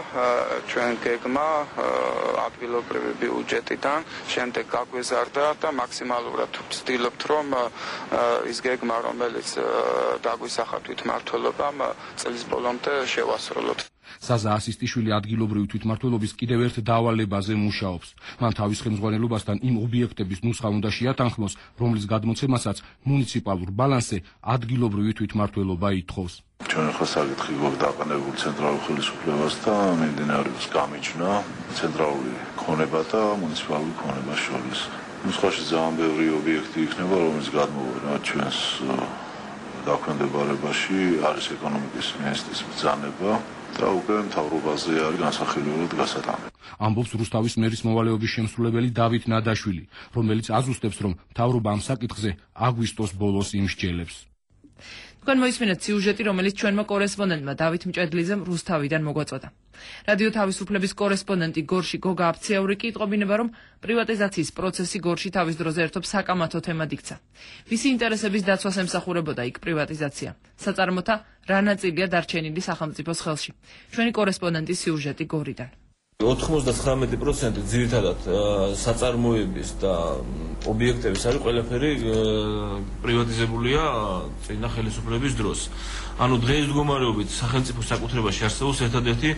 ჩვენ გეგმა ადგილობრივი ბიუჯეტიდან, შემდეგ გაგვეზარდა და მაქსიმალურად ვცდილობთ, რომ ის გეგმა, რომელიც დაგვისახა თვითმმართველობამ, წლის ბოლომდე შევასრულოთ.
ზაზა ასისტიშვილი ადგილობრივი თვითმმართველობის კიდევ ერთ დავალებაზე მუშაობს. მან თავის ხელმძღვანელობასთან იმ ობიექტების ნუსხა უნდა შეათანხმოს, რომლის გადმოცემასაც მუნიციპალურ ბალანსზე ადგილობრივი თვითმმართველობა ითხოვს.
ჩვენ ახლა საკითხი გვაქვს დაყენებული ცენტრალურ ხელისუფლებას და მიმდინარეობს გამიჯვნა ცენტრალური ქონება და მუნიციპალური ქონება შორის. ნუსხაში ძალიან ბევრი ობიექტი იქნება, რომელიც გადმოვიდა ჩვენს დაქვემდებარებაში, არის ეკონომიკის მინისტრის ბრძანება და უკვე მთავრობაზე არის განსახილველად გასატანები.
ამბობს რუსთავის მერის მოვალეობის შემსრულებელი დავით ნადაშვილი, რომელიც აზუსტებს, რომ მთავრობა ამ საკითხზე აგვისტოს ბოლოს იმსჯელებს.
თქვენ მოისმინეთ სიუჟეტი, რომელიც ჩვენმა კორესპონდენტმა დავით მჭედლიძემ რუსთავიდან მოგვაწოდა. რადიო თავისუფლების კორესპონდენტი გორში გოგა აფციაური კი იტყობინება, რომ პრივატიზაციის პროცესი გორში თავის დროზე ერთობ საკამათო თემად იქცა. ვისი ინტერესების დაცვას ემსახურებოდა იქ პრივატიზაცია? საწარმოთა რა ნაწილია დარჩენილი სახელმწიფოს ხელში? ჩვენი კორესპონდენტის სიუჟეტი გორიდან.
99% ძირითადად საწარმოების და ობიექტების არის ყველაფერი პრივატიზებულია წინა ხელისუფლების დროს. ანუ დღეს მდგომარეობით სახელმწიფოს საკუთრებაში არსებობს ერთადერთი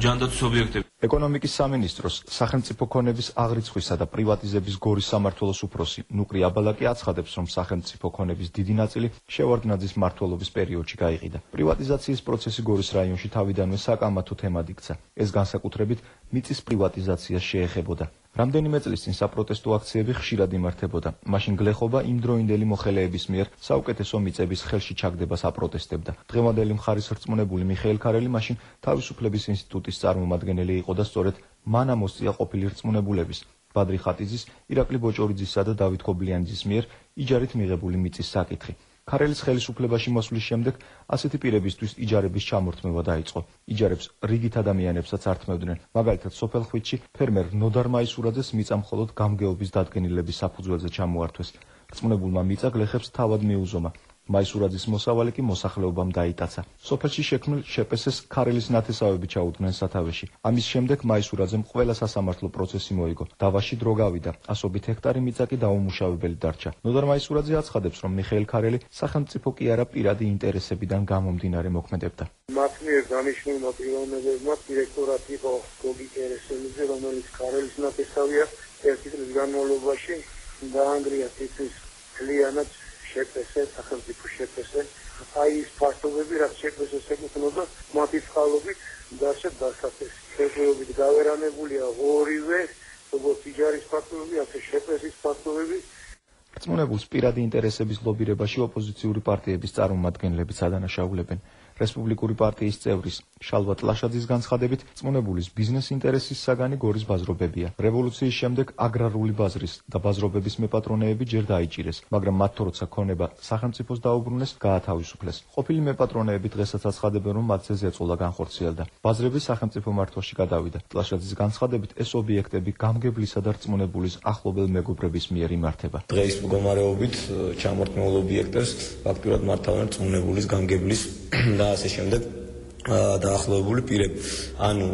ჯანდაცვის ობიექტები.
ეკონომიკის სამინისტროს სახელმწიფო ქონების აღრიცხვისა და პრივატიზების გორის სამმართველოს უფროსი ნუკრი აბალაკი აცხადებს, რომ სახელმწიფო ქონების დიდი ნაწილი შევარდნაძის მმართველობის პერიოდში გაიყიდა. პრივატიზაციის პროცესი გორის რაიონში თავიდანვე საკამათო თემად იქცა. ეს განსაკუთრებით მიწის პრივატიზაციას შეეხებოდა. რამდენიმე წლის წინ საპროტესტო აქციები ხშირად იმართებოდა. მაშინ გლეხობა იმდროინდელი მოხელეების მიერ საუკეთესო მიწების ხელში ჩაგდებას აპროტესტებდა. დღევანდელი მხარის რწმუნებული მიხეილ ქარელი მაშინ თავისუფლების ინსტიტუტის წარმომადგენელი იყო და სწორედ მან ამოსწია ყოფილი რწმუნებულების ბადრი ხატიძის, ირაკლი ბოჭორიძისა და დავით ქობლიანიძის მიერ იჯარით მიღებული მიწის საკითხი. ქარელის ხელისუფლებაში მოსვლის შემდეგ ასეთი პირებისთვის იჯარების ჩამორთმევა დაიწყო. იჯარებს რიგით ადამიანებსაც ართმევდნენ. მაგალითად, სოფელ ხვიჩში ფერმერ ნოდარ მაისურაძეს მიწა მხოლოდ გამგეობის დადგენილების საფუძველზე ჩამოართვეს. რწმუნებულმა მიწა გლეხებს თავად მიუზომა. მაისურაძის მოსავალი კი მოსახლეობამ დაიტაცა. სოფელში შექმნილ შეპესეს ქარელის ნათესავები ჩაუდგნენ სათავეში. ამის შემდეგ მაისურაძემ ყველა სასამართლო პროცესი მოიგო. დავაში დრო გავიდა. 100 ჰექტარი მიწა კი დაუმუშავებელი დარჩა. ნოდარ მაისურაძე აცხადებს, რომ მიხეილ ქარელი სახელმწიფო კი არა პირადი ინტერესებიდან გამომდინარე მოქმედებდა.
მათ მიერ დანიშნულმა პიროვნებებმა დირექტორად იყო გოგი კერესელიძე, რომელიც ქარელის ნათესავია. ერთი წლის განმავლობაში დაანგრია თითქმის მთლიანად შეპესე, სახელმწიფო შეპესე. აი ის ფაქტობები, რაც შეპესეს ეკუთვნოდა, მათი წყალობით დარჩა დასაფესი. შეფერობით გავერანებულია ორივე, როგორც იჯარის ფაქტობები, ასე შეპესის ფაქტობები.
რწმუნებულს პირადი ინტერესების ლობირებაში ოპოზიციური პარტიების წარმომადგენლებიც ადანაშაულებენ. რესპუბლიკური პარტიის წევრის შალვა ტლაშაძის განცხადებით, რწმუნებულის ბიზნეს ინტერესის საგანი გორის ბაზრობებია. რევოლუციის შემდეგ აგრარული ბაზრის და ბაზრობების მეპატრონეები ჯერ დაიჭირეს, მაგრამ მათ როცა ქონება სახელმწიფოს დაუბრუნეს, გაათავისუფლეს. ყოფილი მეპატრონეები დღესაც აცხადებენ, რომ მათზე ზეწოლა განხორციელდა. ბაზრები სახელმწიფო მართვაში გადავიდა. ტლაშაძის განცხადებით, ეს ობიექტები გამგებლისა და რწმუნებულის ახლობელ მეგობრების მიერ იმართება.
დღეს მდგომარეობით ჩამორთმეულ ობიექტებს ფაქტურად მართავენ რწმუნებულის გამგებლის და ასე შემდეგ დაახლოებული პირები. ანუ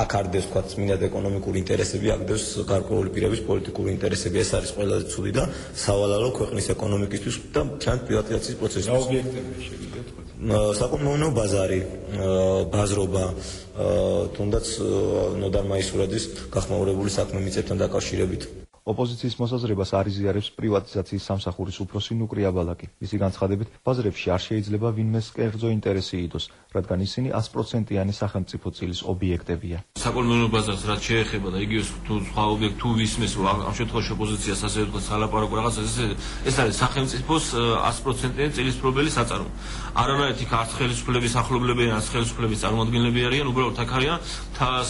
აქ არდეს თქვა წმინდად ეკონომიკური ინტერესები, აქდეს გარკვეული პირების პოლიტიკური ინტერესები. ეს არის ყველაზე ცუდი და სავალალო ქვეყნის ეკონომიკისთვის და ჩანს პრივატიზაციის პროცესში.
ობიექტები შეგიძლიათ თქვა.
საკუთმეურნეო ბაზარი, ბაზრობა, თუნდაც ნოდარ მაისურაძის გახმაურებული საქმე მიწებთან დაკავშირებით.
ოპოზიციის მოსაზრებას არ იზიარებს პრივატიზაციის სამსახურის უფროსი ნუკრი აბალაკი. მისი განცხადებით, ბაზრებში არ შეიძლება ვინმეს კერძო ინტერესი იდოს, რადგან ისინი 100%-იანი სახელმწიფო წილის ობიექტებია.
საკუთმეურნეო ბაზარს რაც შეეხება და იგივე თუ სხვა ობიექტ თუ ვისმეს ამ შემთხვევაში ოპოზიციას ასე ვთქვათ სალაპარაკო რაღაც ეს არის სახელმწიფოს 100%-იანი წილისპრობელი საწარმო. არანაირ იქ არც ხელისუფლების ახლობლები არც ხელისუფლების წარმომადგენლები არიან, უბრალოდ აქ არიან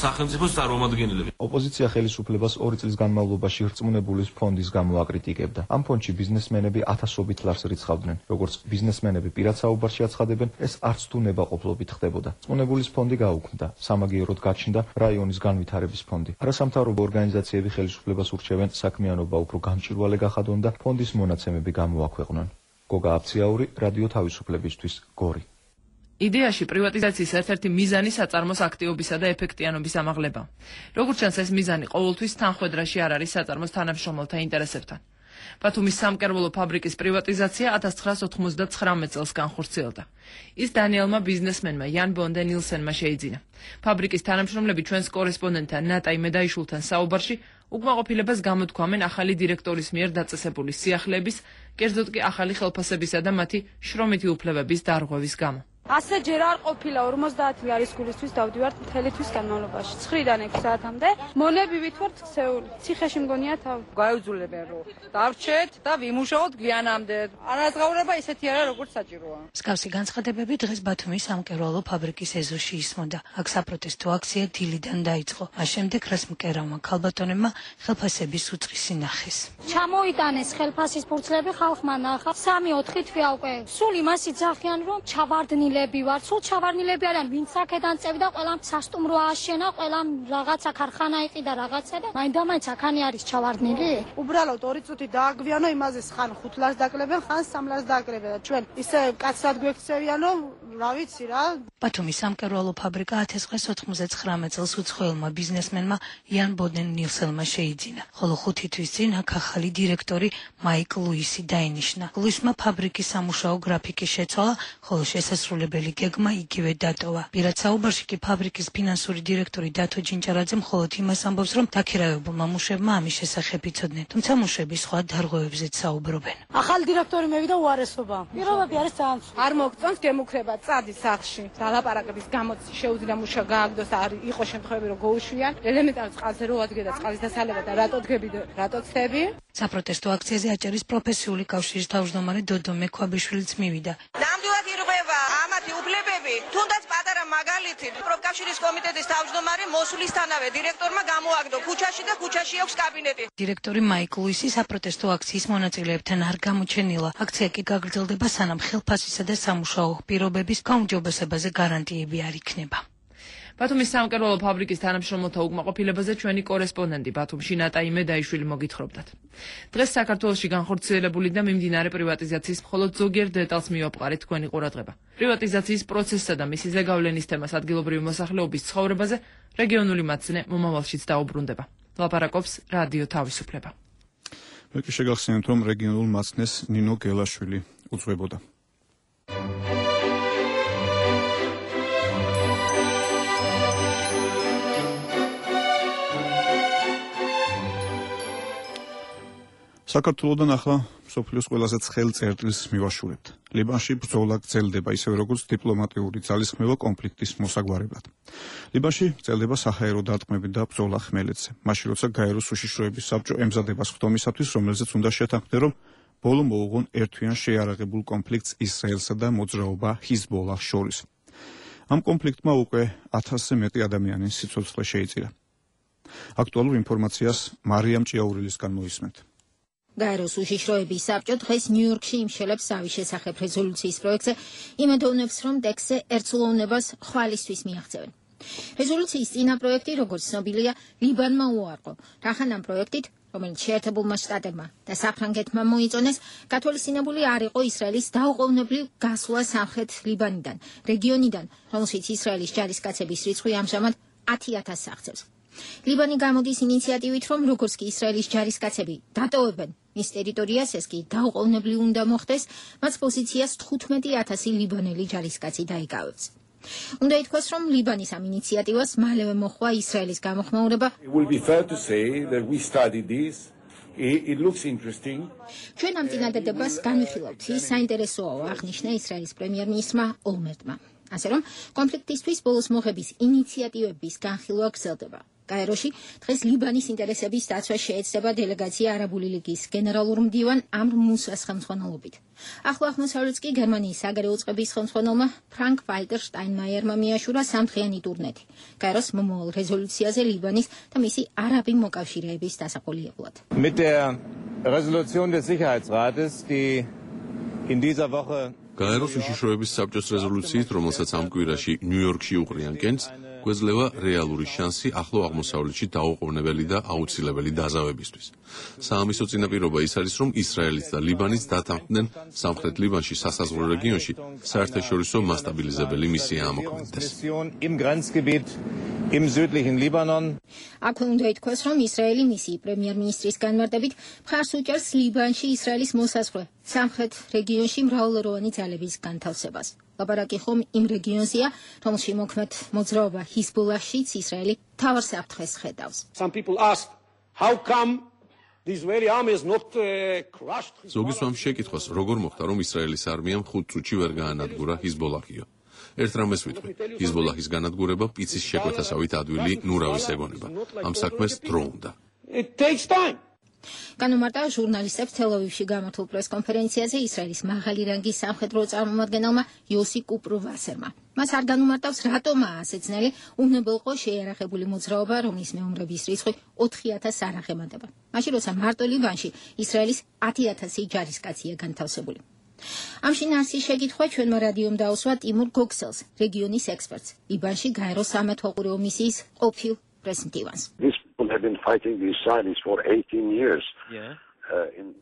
სახელმწიფოს წარმომადგენლები.
ოპოზიცია ხელისუფლებას 2 წლის განმავლობაში რწმუნებულის ფონდის გამო აკრიტიკებდა. ამ ფონდში ბიზნესმენები ათასობით ლარს რიცხავდნენ. როგორც ბიზნესმენები პირად საუბარში აცხადებენ, ეს არც თუ ნებაყოფლობით ხდებოდა. რწმუნებულის ფონდი გაუქმდა. სამაგიეროდ გაჩნდა რაიონის განვითარების ფონდი. არასამთავრობო ორგანიზაციები ხელისუფლებას ურჩევენ საქმიანობა უფრო გამჭვირვალე გახადონ და ფონდის მონაცემები გამოაქვეყნონ. გოგა აფციაური, რადიო თავისუფლებისთვის, გორი.
იდეაში პრივატიზაციის ერთ-ერთი მიზანი საწარმოს აქტიობისა და ეფექტიანობის ამაღლება. როგორც ჩანს, ეს მიზანი ყოველთვის თანხვედრაში არ არის საწარმოს თანამშრომელთა ინტერესებთან. ბათუმის სამკერვალო ფაბრიკის პრივატიზაცია 1999 წელს განხორციელდა. ის დანიელმა ბიზნესმენმა იან ბონდე ნილსენმა შეიძინა. ფაბრიკის თანამშრომლები ჩვენს კორესპონდენტთან ნატაი მედაიშვილთან საუბარში უკმაყოფილებას გამოთქვამენ ახალი დირექტორის მიერ დაწესებული სიახლეების, კერძოდ კი ახალი ხელფასებისა და მათი შრომითი უფლებების დარღვევის გამო.
ასე ჯერ არ ყოფილა 50 არის გულისთვის დავდივართ მთელი თვის განმავლობაში 9-დან 6 საათამდე მონები ვითვართ ქსეული ციხეში მგონია თავი
გაიძულებენ რომ დავრჩეთ და ვიმუშაოთ გვიანამდე არაზღაურება ისეთი არა როგორც საჭიროა
მსგავსი განცხადებები დღეს ბათუმის სამკერვალო ფაბრიკის ეზოში ისმოდა აქ საპროტესტო აქცია დილიდან დაიწყო მას შემდეგ რას მკერავმა ქალბატონებმა ხელფასების უწყისი ნახეს
ჩამოიტანეს ხელფასის ფურცლები ხალხმა ნახა 3-4 თვეა უკვე სულ იმას იძახიან რომ ჩავარდნილები ვარ სულ ჩავარდნილები არიან ვინც აქედან წევდა ყველამ სასტუმრო ააშენა ყველამ რაღაცა ქარხანა იყიდა რაღაცა და მაინდა-მაინც აქანი არის ჩავარდნილი
უბრალოდ 2 წუთი დააგვიანო იმაზე ხან 5 ლარს დაკლებენ ხან 3 ლარს დაკლებენ და ჩვენ ისე კაცად გვექცევიან რომ რა ვიცი რა
ბათუმის სამკერვალო ფაბრიკა 1999 წელს უცხოელმა ბიზნესმენმა იან ბოდენ ნილსელმა შეიძინა ხოლო 5 თვის წინ აქ ახალი დირექტორი მაიკ ლუისი დაინიშნა ლუისმა ფაბრიკის სამუშაო გრაფიკის შეცვალა ხოლო შესასრულებელი გეგმა იგივე დატოვა პირად საუბარში კი ფაბრიკის ფინანსური დირექტორი დათო ჯინჭარაძე მხოლოდ იმას ამბობს რომ დაქირავებულმა მუშებმა ამის შესახებ იცოდნენ თუმცა მუშები სხვა დარღვევებზეც საუბრობენ
ახალი დირექტორი მევიდა უარესობა პირობები არის ძალიან არ მოგწონს გემუქრება წადი სახლში დალაპარაკების გამოც შეუძლია მუშა გააგდოს არ იყო შემთხვევები რომ гоუშვიან ელემენტარულ წყალზე რო ადგე და წყლის დასალება და რატო დგები და რატო ცდები
საპროტესტო აქციაზე აჭარის პროფესიული კავშირის თავმჯდომარე დოდო მექვაბიშვილიც მივიდა
ნამდვილად ირღვევა ამათი უფლებები თუნდაც პატარა მაგალითით პროფკავშირის კომიტეტის თავმჯდომარე მოსვლისთანავე დირექტორმა გამოაგდო ქუჩაში და ქუჩაში აქვს კაბინეტი
დირექტორი მაიკ ლუისი საპროტესტო აქციის მონაწილეებთან არ გამოჩენილა აქცია კი გაგრძელდება სანამ ხელფასისა და სამუშაო პირობების გაუმჯობესებაზე გარანტიები არ იქნება
ბათუმის სამკერვალო ფაბრიკის თანამშრომელთა უკმაყოფილებაზე ჩვენი კორესპონდენტი ბათუმში ნატა იმედაიშვილი მოგითხრობდათ. დღეს საქართველოში განხორციელებული და მიმდინარე პრივატიზაციის მხოლოდ ზოგიერთ დეტალს მივაპყარეთ თქვენი ყურადღება. პრივატიზაციის პროცესსა და მისი ზეგავლენის თემას ადგილობრივი მოსახლეობის ცხოვრებაზე რეგიონული მაცნე მომავალშიც დაუბრუნდება. ლაპარაკობს რადიო თავისუფლება.
მე კი შეგახსენებთ რომ რეგიონულ მაცნეს ნინო გელაშვილი უძღვებოდა. საქართველოდან ახლა მსოფლიოს ყველაზე ცხელ წერტილს მივაშურებთ. ლიბანში ბრძოლა გრძელდება ისევე როგორც დიპლომატიური ძალისხმევა კონფლიქტის მოსაგვარებლად. ლიბანში გრძელდება საჰაერო დარტყმები და ბრძოლა ხმელეთზე. მაშინ როცა გაეროს უშიშროების საბჭო ემზადებას ხდომისათვის, რომელზეც უნდა შეთანხმდნენ, რომ ბოლო მოუღონ ერთვიან შეიარაღებულ კონფლიქტს ისრაელსა და მოძრაობა ჰიზბოლას შორის. ამ კონფლიქტმა უკვე 1000-ზე მეტი ადამიანის სიცოცხლე შეიწირა. აქტუალურ ინფორმაციას მარიამ ჭიაურილისგან მოისმენთ.
გაეროს უშიშროების საბჭო დღეს ნიუ-იორკში იმშელებს ზავის შესახებ რეზოლუციის პროექტზე, იმედოვნებს, რომ ტექსტზე ერთსულოვნებას ხვალისთვის მიაღწევენ. რეზოლუციის წინა პროექტი, როგორც ცნობილია, ლიბანმა უარყო. რახან ამ პროექტით, რომელიც შეერთებულმა შტატებმა და საფრანგეთმა მოიწონეს, გათვალისწინებული არ იყო ისრაელის დაუყოვნებლივ გასვლა სამხრეთ ლიბანიდან, რეგიონიდან, რომელშიც ისრაელის ჯარისკაცების რიცხვი ამჟამად 10,000-ს აღწევს. ლიბანი გამოდის ინიციატივით, რომ როგორც კი ისრაელის ჯარისკაცები დატოვებენ მის ტერიტორიას, ეს კი დაუყოვნებლივ უნდა მოხდეს, მათ პოზიციას 15,000 ლიბანელი ჯარისკაცი დაიკავებს. უნდა ითქვას, რომ ლიბანის ამ ინიციატივას მალევე მოჰყვა ისრაელის გამოხმაურება. ჩვენ ამ წინადადებას განვიხილავთ, ის საინტერესოა, აღნიშნა ისრაელის პრემიერ-მინისტრმა ოლმერტმა. ასე რომ, კონფლიქტისთვის ბოლოს მოხების ინიციატივების განხილვა გრძელდება. გაეროში დღეს ლიბანის ინტერესების დაცვა შეეცდება დელეგაცია არაბული ლიგის გენერალურ მდივან ამრ მუსას ხელმძღვანელობით. ახლო აღმოსავლეთს კი გერმანიის საგარეო წყების ხელმძღვანელმა ფრანკ ვალტერ შტაინმაიერმა მიაშურა სამდღიანი ტურნეტი. გაეროს მომავალ რეზოლუციაზე ლიბანის და მისი არაბი მოკავშირეების დასაყოლიებლად.
Mit der Resolution des Sicherheitsrates, die in dieser Woche
გაეროს უშიშროების საბჭოს რეზოლუციით, რომელსაც ამ კვირაში ნიუ-იორკში უყრიან კენს, გვეძლევა რეალური შანსი ახლო აღმოსავლეთში დაუყოვნებელი და აუცილებელი დაზავებისთვის. საამისო წინაპირობა ის არის, რომ ისრაელიც და ლიბანიც დათანხმდნენ სამხრეთ ლიბანში სასაზღვრო რეგიონში საერთაშორისო მასტაბილიზებელი მისია ამოქმედდეს.
Im südlichen Libanon.
აქვე უნდა ითქვას, რომ ისრაელი მისი პრემიერ-მინისტრის განმარტებით მხარს უჭერს ლიბანში ისრაელის მოსაზღვრე სამხრეთ რეგიონში მრავალეროვანი ძალების განთავსებას. ლაპარაკი ხომ იმ რეგიონზეა, რომელში მოქმედ მოძრაობა ჰიზბოლაშიც ისრაელი მთავარ საფრთხეს ხედავს.
Some people ask, how come the Israeli army is not crushed?
ზოგი სვამ შეკითხვას, როგორ მოხდა, რომ ისრაელის არმიამ 5 წუთში ვერ გაანადგურა ჰიზბოლაჰიო. ერთ რამეს ვიტყვი, ჰიზბოლაჰის განადგურება პიცის შეკვეთასავით ადვილი ნურავის ეგონება. ამ საქმეს დრო უნდა.
განუმარტავა ჟურნალისტებს თელ-ავივში გამართულ პრესკონფერენციაზე ისრაელის მაღალი რანგის სამხედრო წარმომადგენელმა იოსი კუპროვასერმა. მას არ განუმარტავს, რატომაა ასე ძნელი უნებელყო შეიარაღებული მოძრაობა, რომლის მეომრების რიცხვი 4000 არ აღემატება. მაშინ, როცა მარტო ლიბანში ისრაელის 10000 ჯარისკაცია განთავსებული. ამ შინაარსის შეკითხვა ჩვენმა რადიომ დაუსვა ტიმურ გოგსელს, რეგიონის ექსპერტს, ლიბანში გაეროს სამეთვალყურეო მისიის ყოფილ პრეზიდენტს.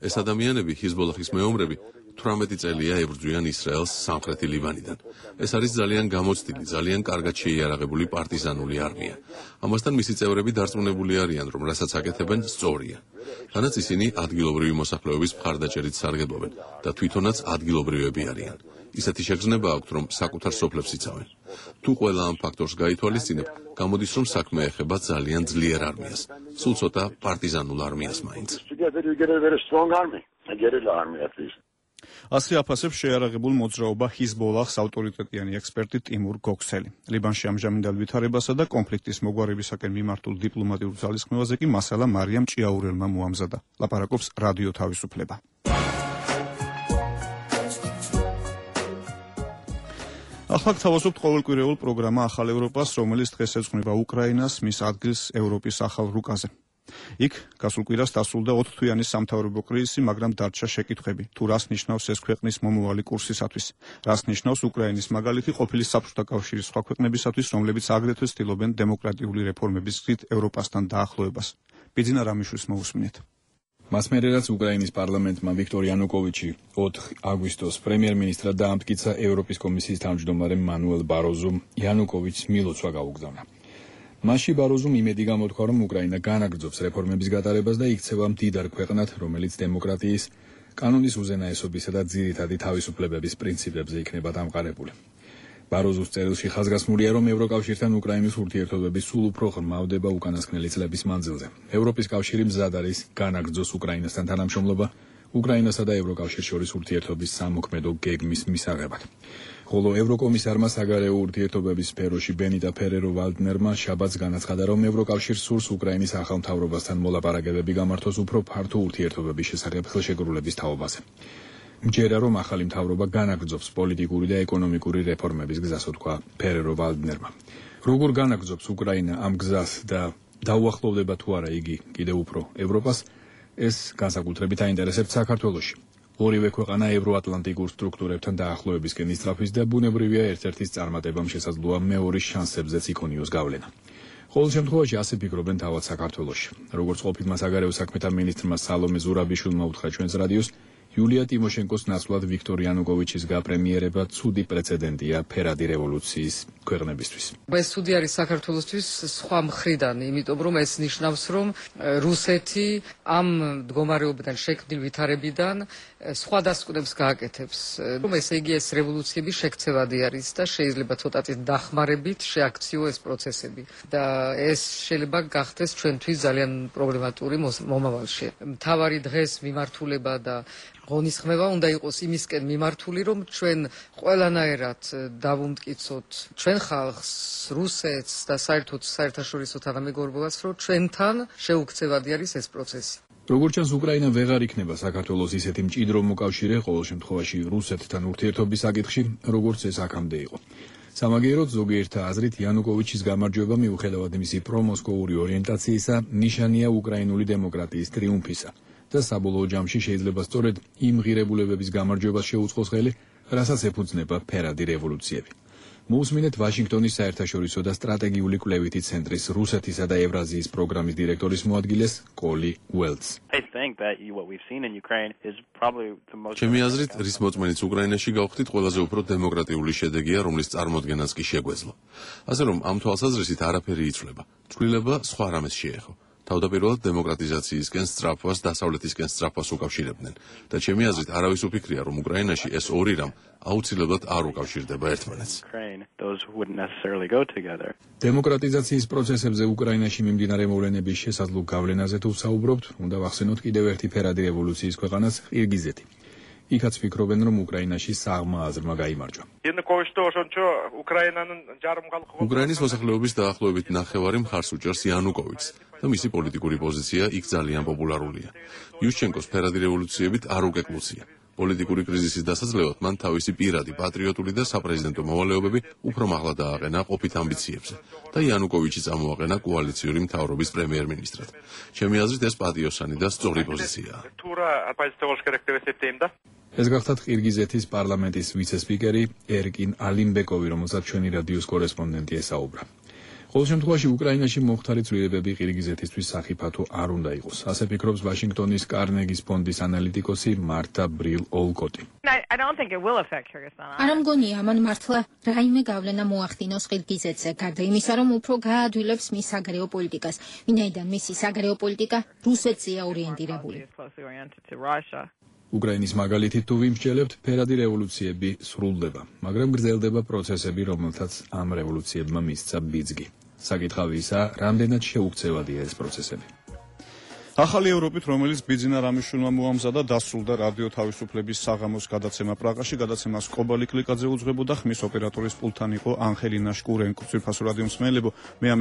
ეს ადამიანები, ჰიზბოლაჰის მეომრები, 18 წელია ებრძვიან ისრაელს სამხრეთი ლიბანიდან. ეს არის ძალიან გამოცდილი, ძალიან კარგად შეიარაღებული პარტიზანული არმია. ამასთან მისი წევრები დარწმუნებული არიან, რომ რასაც აკეთებენ, სწორია. თანაც ისინი ადგილობრივი მოსახლეობის მხარდაჭერით სარგებლობენ და თვითონაც ადგილობრივები არიან. ისეთი შეგრძნება აქვთ, რომ საკუთარ სოფლებს იცავენ. თუ ყველა ამ ფაქტორს გაითვალისწინებ, გამოდის, რომ საქმე ეხება ძალიან ძლიერ არმიას, სულ ცოტა პარტიზანულ არმიას მაინც.
ასე აფასებს შეიარაღებულ მოძრაობა ჰიზბოლაჰს ავტორიტეტიანი ექსპერტი ტიმურ გოგსელი. ლიბანში ამჟამინდელ ვითარებასა და კონფლიქტის მოგვარებისაკენ მიმართულ დიპლომატიურ ძალისხმევაზე კი მასალა მარიამ ჭიაურელმა მოამზადა. ლაპარაკობს რადიო თავისუფლება. ახლა გთავაზობთ ყოველკვირეულ პროგრამა ახალ ევროპას, რომელიც დღეს ეძღვნება უკრაინას, მის ადგილს ევროპის ახალ რუკაზე. იქ გასულ კვირას დასრულდა 4 თვიანი სამთავრობო კრიზისი, მაგრამ დარჩა შეკითხვები, თუ რას ნიშნავს ეს ქვეყნის მომავალი კურსისათვის. რას ნიშნავს უკრაინის მაგალითი ყოფილი საბჭოთა კავშირის სხვა ქვეყნებისათვის, რომლებიც აგრეთვე ცდილობენ დემოკრატიული რეფორმების გზით ევროპასთან დაახლოებას. ბიძინა რამიშვილს მოусმინეთ.
მას მერე რაც უკრაინის პარლამენტმა ვიქტორ იანუკოვიჩი 4 აგვისტოს პრემიერ-მინისტრად დაამტკიცა ევროპის კომისიის თავმჯდომარემ მანუელ ბაროზომ იანუკოვიჩს მილოცვა გაუგზავნა. მასში ბაროზომ იმედი გამოთქვა, რომ უკრაინა განაგრძობს რეფორმების გატარებას და იქცევა მდიდარ ქვეყნად, რომელიც დემოკრატიის, კანონის უზენაესობისა და ძირითადი თავისუფლებების პრინციპებზე იქნება დამყარებული. ბაროზოს წერილში ხაზგასმულია, რომ ევროკავშირთან უკრაინის ურთიერთობები სულ უფრო ღრმავდება უკანასკნელი წლების მანძილზე. ევროპის კავშირი მზად არის განაგრძოს უკრაინასთან თანამშრომლობა უკრაინასა და ევროკავშირს შორის ურთიერთობის სამოქმედო გეგმის მისაღებად. ხოლო ევროკომისარმა საგარეო ურთიერთობების სფეროში ბენიტა ფერერო-ვალდნერმა შაბათს განაცხადა, რომ ევროკავშირს სურს უკრაინის ახალ მთავრობასთან მოლაპარაკებები გამართოს უფრო ფართო ურთიერთობების შესახებ ხელშეკრულების თაობაზე. მჯერა, რომ ახალი მთავრობა განაგრძობს პოლიტიკური და ეკონომიკური რეფორმების გზას, თქვა ფერერო-ვალდნერმა. როგორ განაგრძობს უკრაინა ამ გზას და დაუახლოვდება თუ არა იგი კიდევ უფრო ევროპას, ეს განსაკუთრებით აინტერესებს საქართველოში. ორივე ქვეყანა ევროატლანტიკურ სტრუქტურებთან დაახლოებისკენ ისწრაფვის და ბუნებრივია ერთ-ერთის წარმატებამ შესაძლოა მეორის შანსებზეც იქონიოს გავლენა. ყოველ შემთხვევაში ასე ფიქრობენ თავად საქართველოში. როგორც ყოფილმა საგარეო საქმეთა მინისტრმა სალომე ზურაბიშვილმა უთხრა ჩვენს რადიოს, იულია ტიმოშენკოს ნაცვლად ვიქტორ იანუკოვიჩის გაპრემიერება ცუდი პრეცედენტია ფერადი რევოლუციის ქვეყნებისთვის.
ეს ცუდი არის საქართველოსთვის სხვა მხრიდან, იმიტომ რომ ეს ნიშნავს, რომ რუსეთი ამ მდგომარეობიდან შექმნილ ვითარებიდან სხვა დასკვნებს გააკეთებს. რომ ესე იგი ეს რევოლუციები შექცევადი არის და შეიძლება ცოტათი დახმარებით შეაქციო ეს პროცესები და ეს შეიძლება გახდეს ჩვენთვის ძალიან პრობლემატური მომავალში. მთავარი დღეს მიმართულება და ღონისხმება უნდა იყოს იმისკენ მიმართული, რომ ჩვენ ყველანაირად დავუმტკიცოთ ჩვენ ხალხს, რუსეთს და საერთოდ საერთაშორისო თანამეგობრობას, რომ ჩვენთან შეუქცევადი არის ეს პროცესი.
როგორც ჩანს, უკრაინა ვეღარ იქნება საქართველოს ისეთი მჭიდრო მოკავშირე, ყოველ შემთხვევაში რუსეთთან ურთიერთობის საკითხში, როგორც ეს აქამდე იყო. სამაგიეროდ ზოგიერთა აზრით იანუკოვიჩის გამარჯვება მიუხედავად მისი პრომოსკოვური ორიენტაციისა, ნიშანია უკრაინული დემოკრატიის ტრიუმფისა. და საბოლოო ჯამში შეიძლება სწორედ იმ ღირებულებების გამარჯვებას შეუწყოს ხელი, რასაც ეფუძნება ფერადი რევოლუციები. მოусმინეთ ვაშინგტონის საერთაშორისო და სტრატეგიული კვლევითი ცენტრის რუსეთისა და ევრაზიის პროგრამის დირექტორის მოადგილეს კოლი უელდს.
ჩემი აზრით, რის მოწმენიც უკრაინაში გავხდით, ყველაზე უფრო დემოკრატიული შედეგია, რომლის წარმოდგენაც კი შეგვეძლო. ასე რომ ამ თვალსაზრისით არაფერი იცვლება. ცვლილება სხვა რამეს შეეხო. თავდაპირველად დემოკრატიზაციისკენ სწრაფვას, დასავლეთისკენ სწრაფვას უკავშირებდნენ და ჩემი აზრით არავის უფიქრია, რომ უკრაინაში ეს ორი რამ აუცილებლად არ უკავშირდება ერთმანეთს.
დემოკრატიზაციის პროცესებზე უკრაინაში მიმდინარე მოვლენების შესაძლო გავლენაზე თუ ვსაუბრობთ, უნდა ვახსენოთ კიდევ ერთი ფერადი რევოლუციის ქვეყანას, ყირგიზეთი. იქაც ფიქრობენ, რომ უკრაინაში საღმა აზრმა გაიმარჯვა.
უკრაინის მოსახლეობის დაახლოებით ნახევარი მხარს უჭერს იანუკოვიჩს და მისი პოლიტიკური პოზიცია იქ ძალიან პოპულარულია. იუშჩენკოს ფერადი რევოლუციებით არ უკეკლუცია. პოლიტიკური კრიზისის დასაძლევად მან თავისი პირადი პატრიოტული და საპრეზიდენტო მოვალეობები უფრო მაღლა დააყენა ყოფით ამბიციებზე და იანუკოვიჩი წამოაყენა კოალიციური მთავრობის პრემიერ-მინისტრად. ჩემი აზრით ეს პატიოსანი და სწორი პოზიციაა.
ეს გახლავთ ყირგიზეთის პარლამენტის ვიცე-სპიკერი ერკინ ალიმბეკოვი, რომელსაც ჩვენი რადიოს კორესპონდენტი ესაუბრა. ყოველ შემთხვევაში უკრაინაში მომხდარი ცვლილებები ყირგიზეთისთვის სახიფათო არ უნდა იყოს. ასე ფიქრობს ვაშინგტონის კარნეგის ფონდის ანალიტიკოსი მართა ბრილ-ოლკოტი.
არ მგონია ამან მართლა რაიმე გავლენა მოახდინოს ყირგიზეთზე, გარდა იმისა, რომ უფრო გაადვილებს მის საგარეო პოლიტიკას, ვინაიდან მისი საგარეო პოლიტიკა რუსეთზეა ორიენტირებული.
უკრაინის მაგალითით თუ ვიმსჯელებთ, ფერადი რევოლუციები სრულდება, მაგრამ გრძელდება პროცესები, რომელთაც ამ რევოლუციებმა მისცა ბიძგი. საკითხავი ისაა, რამდენად შეუქცევადია ეს პროცესები.
ახალი ევროპით, რომელიც ბიძინა რამიშვილმა მოამზადა, დასრულდა რადიო თავისუფლების საღამოს გადაცემა პრაღაში. გადაცემას კობალი კლიკაძე უძღვებოდა, ხმის ოპერატორის პულტთან იყო ანხელინა შკურენკო. ძვირფასო რადიო მსმენელებო, მე ამით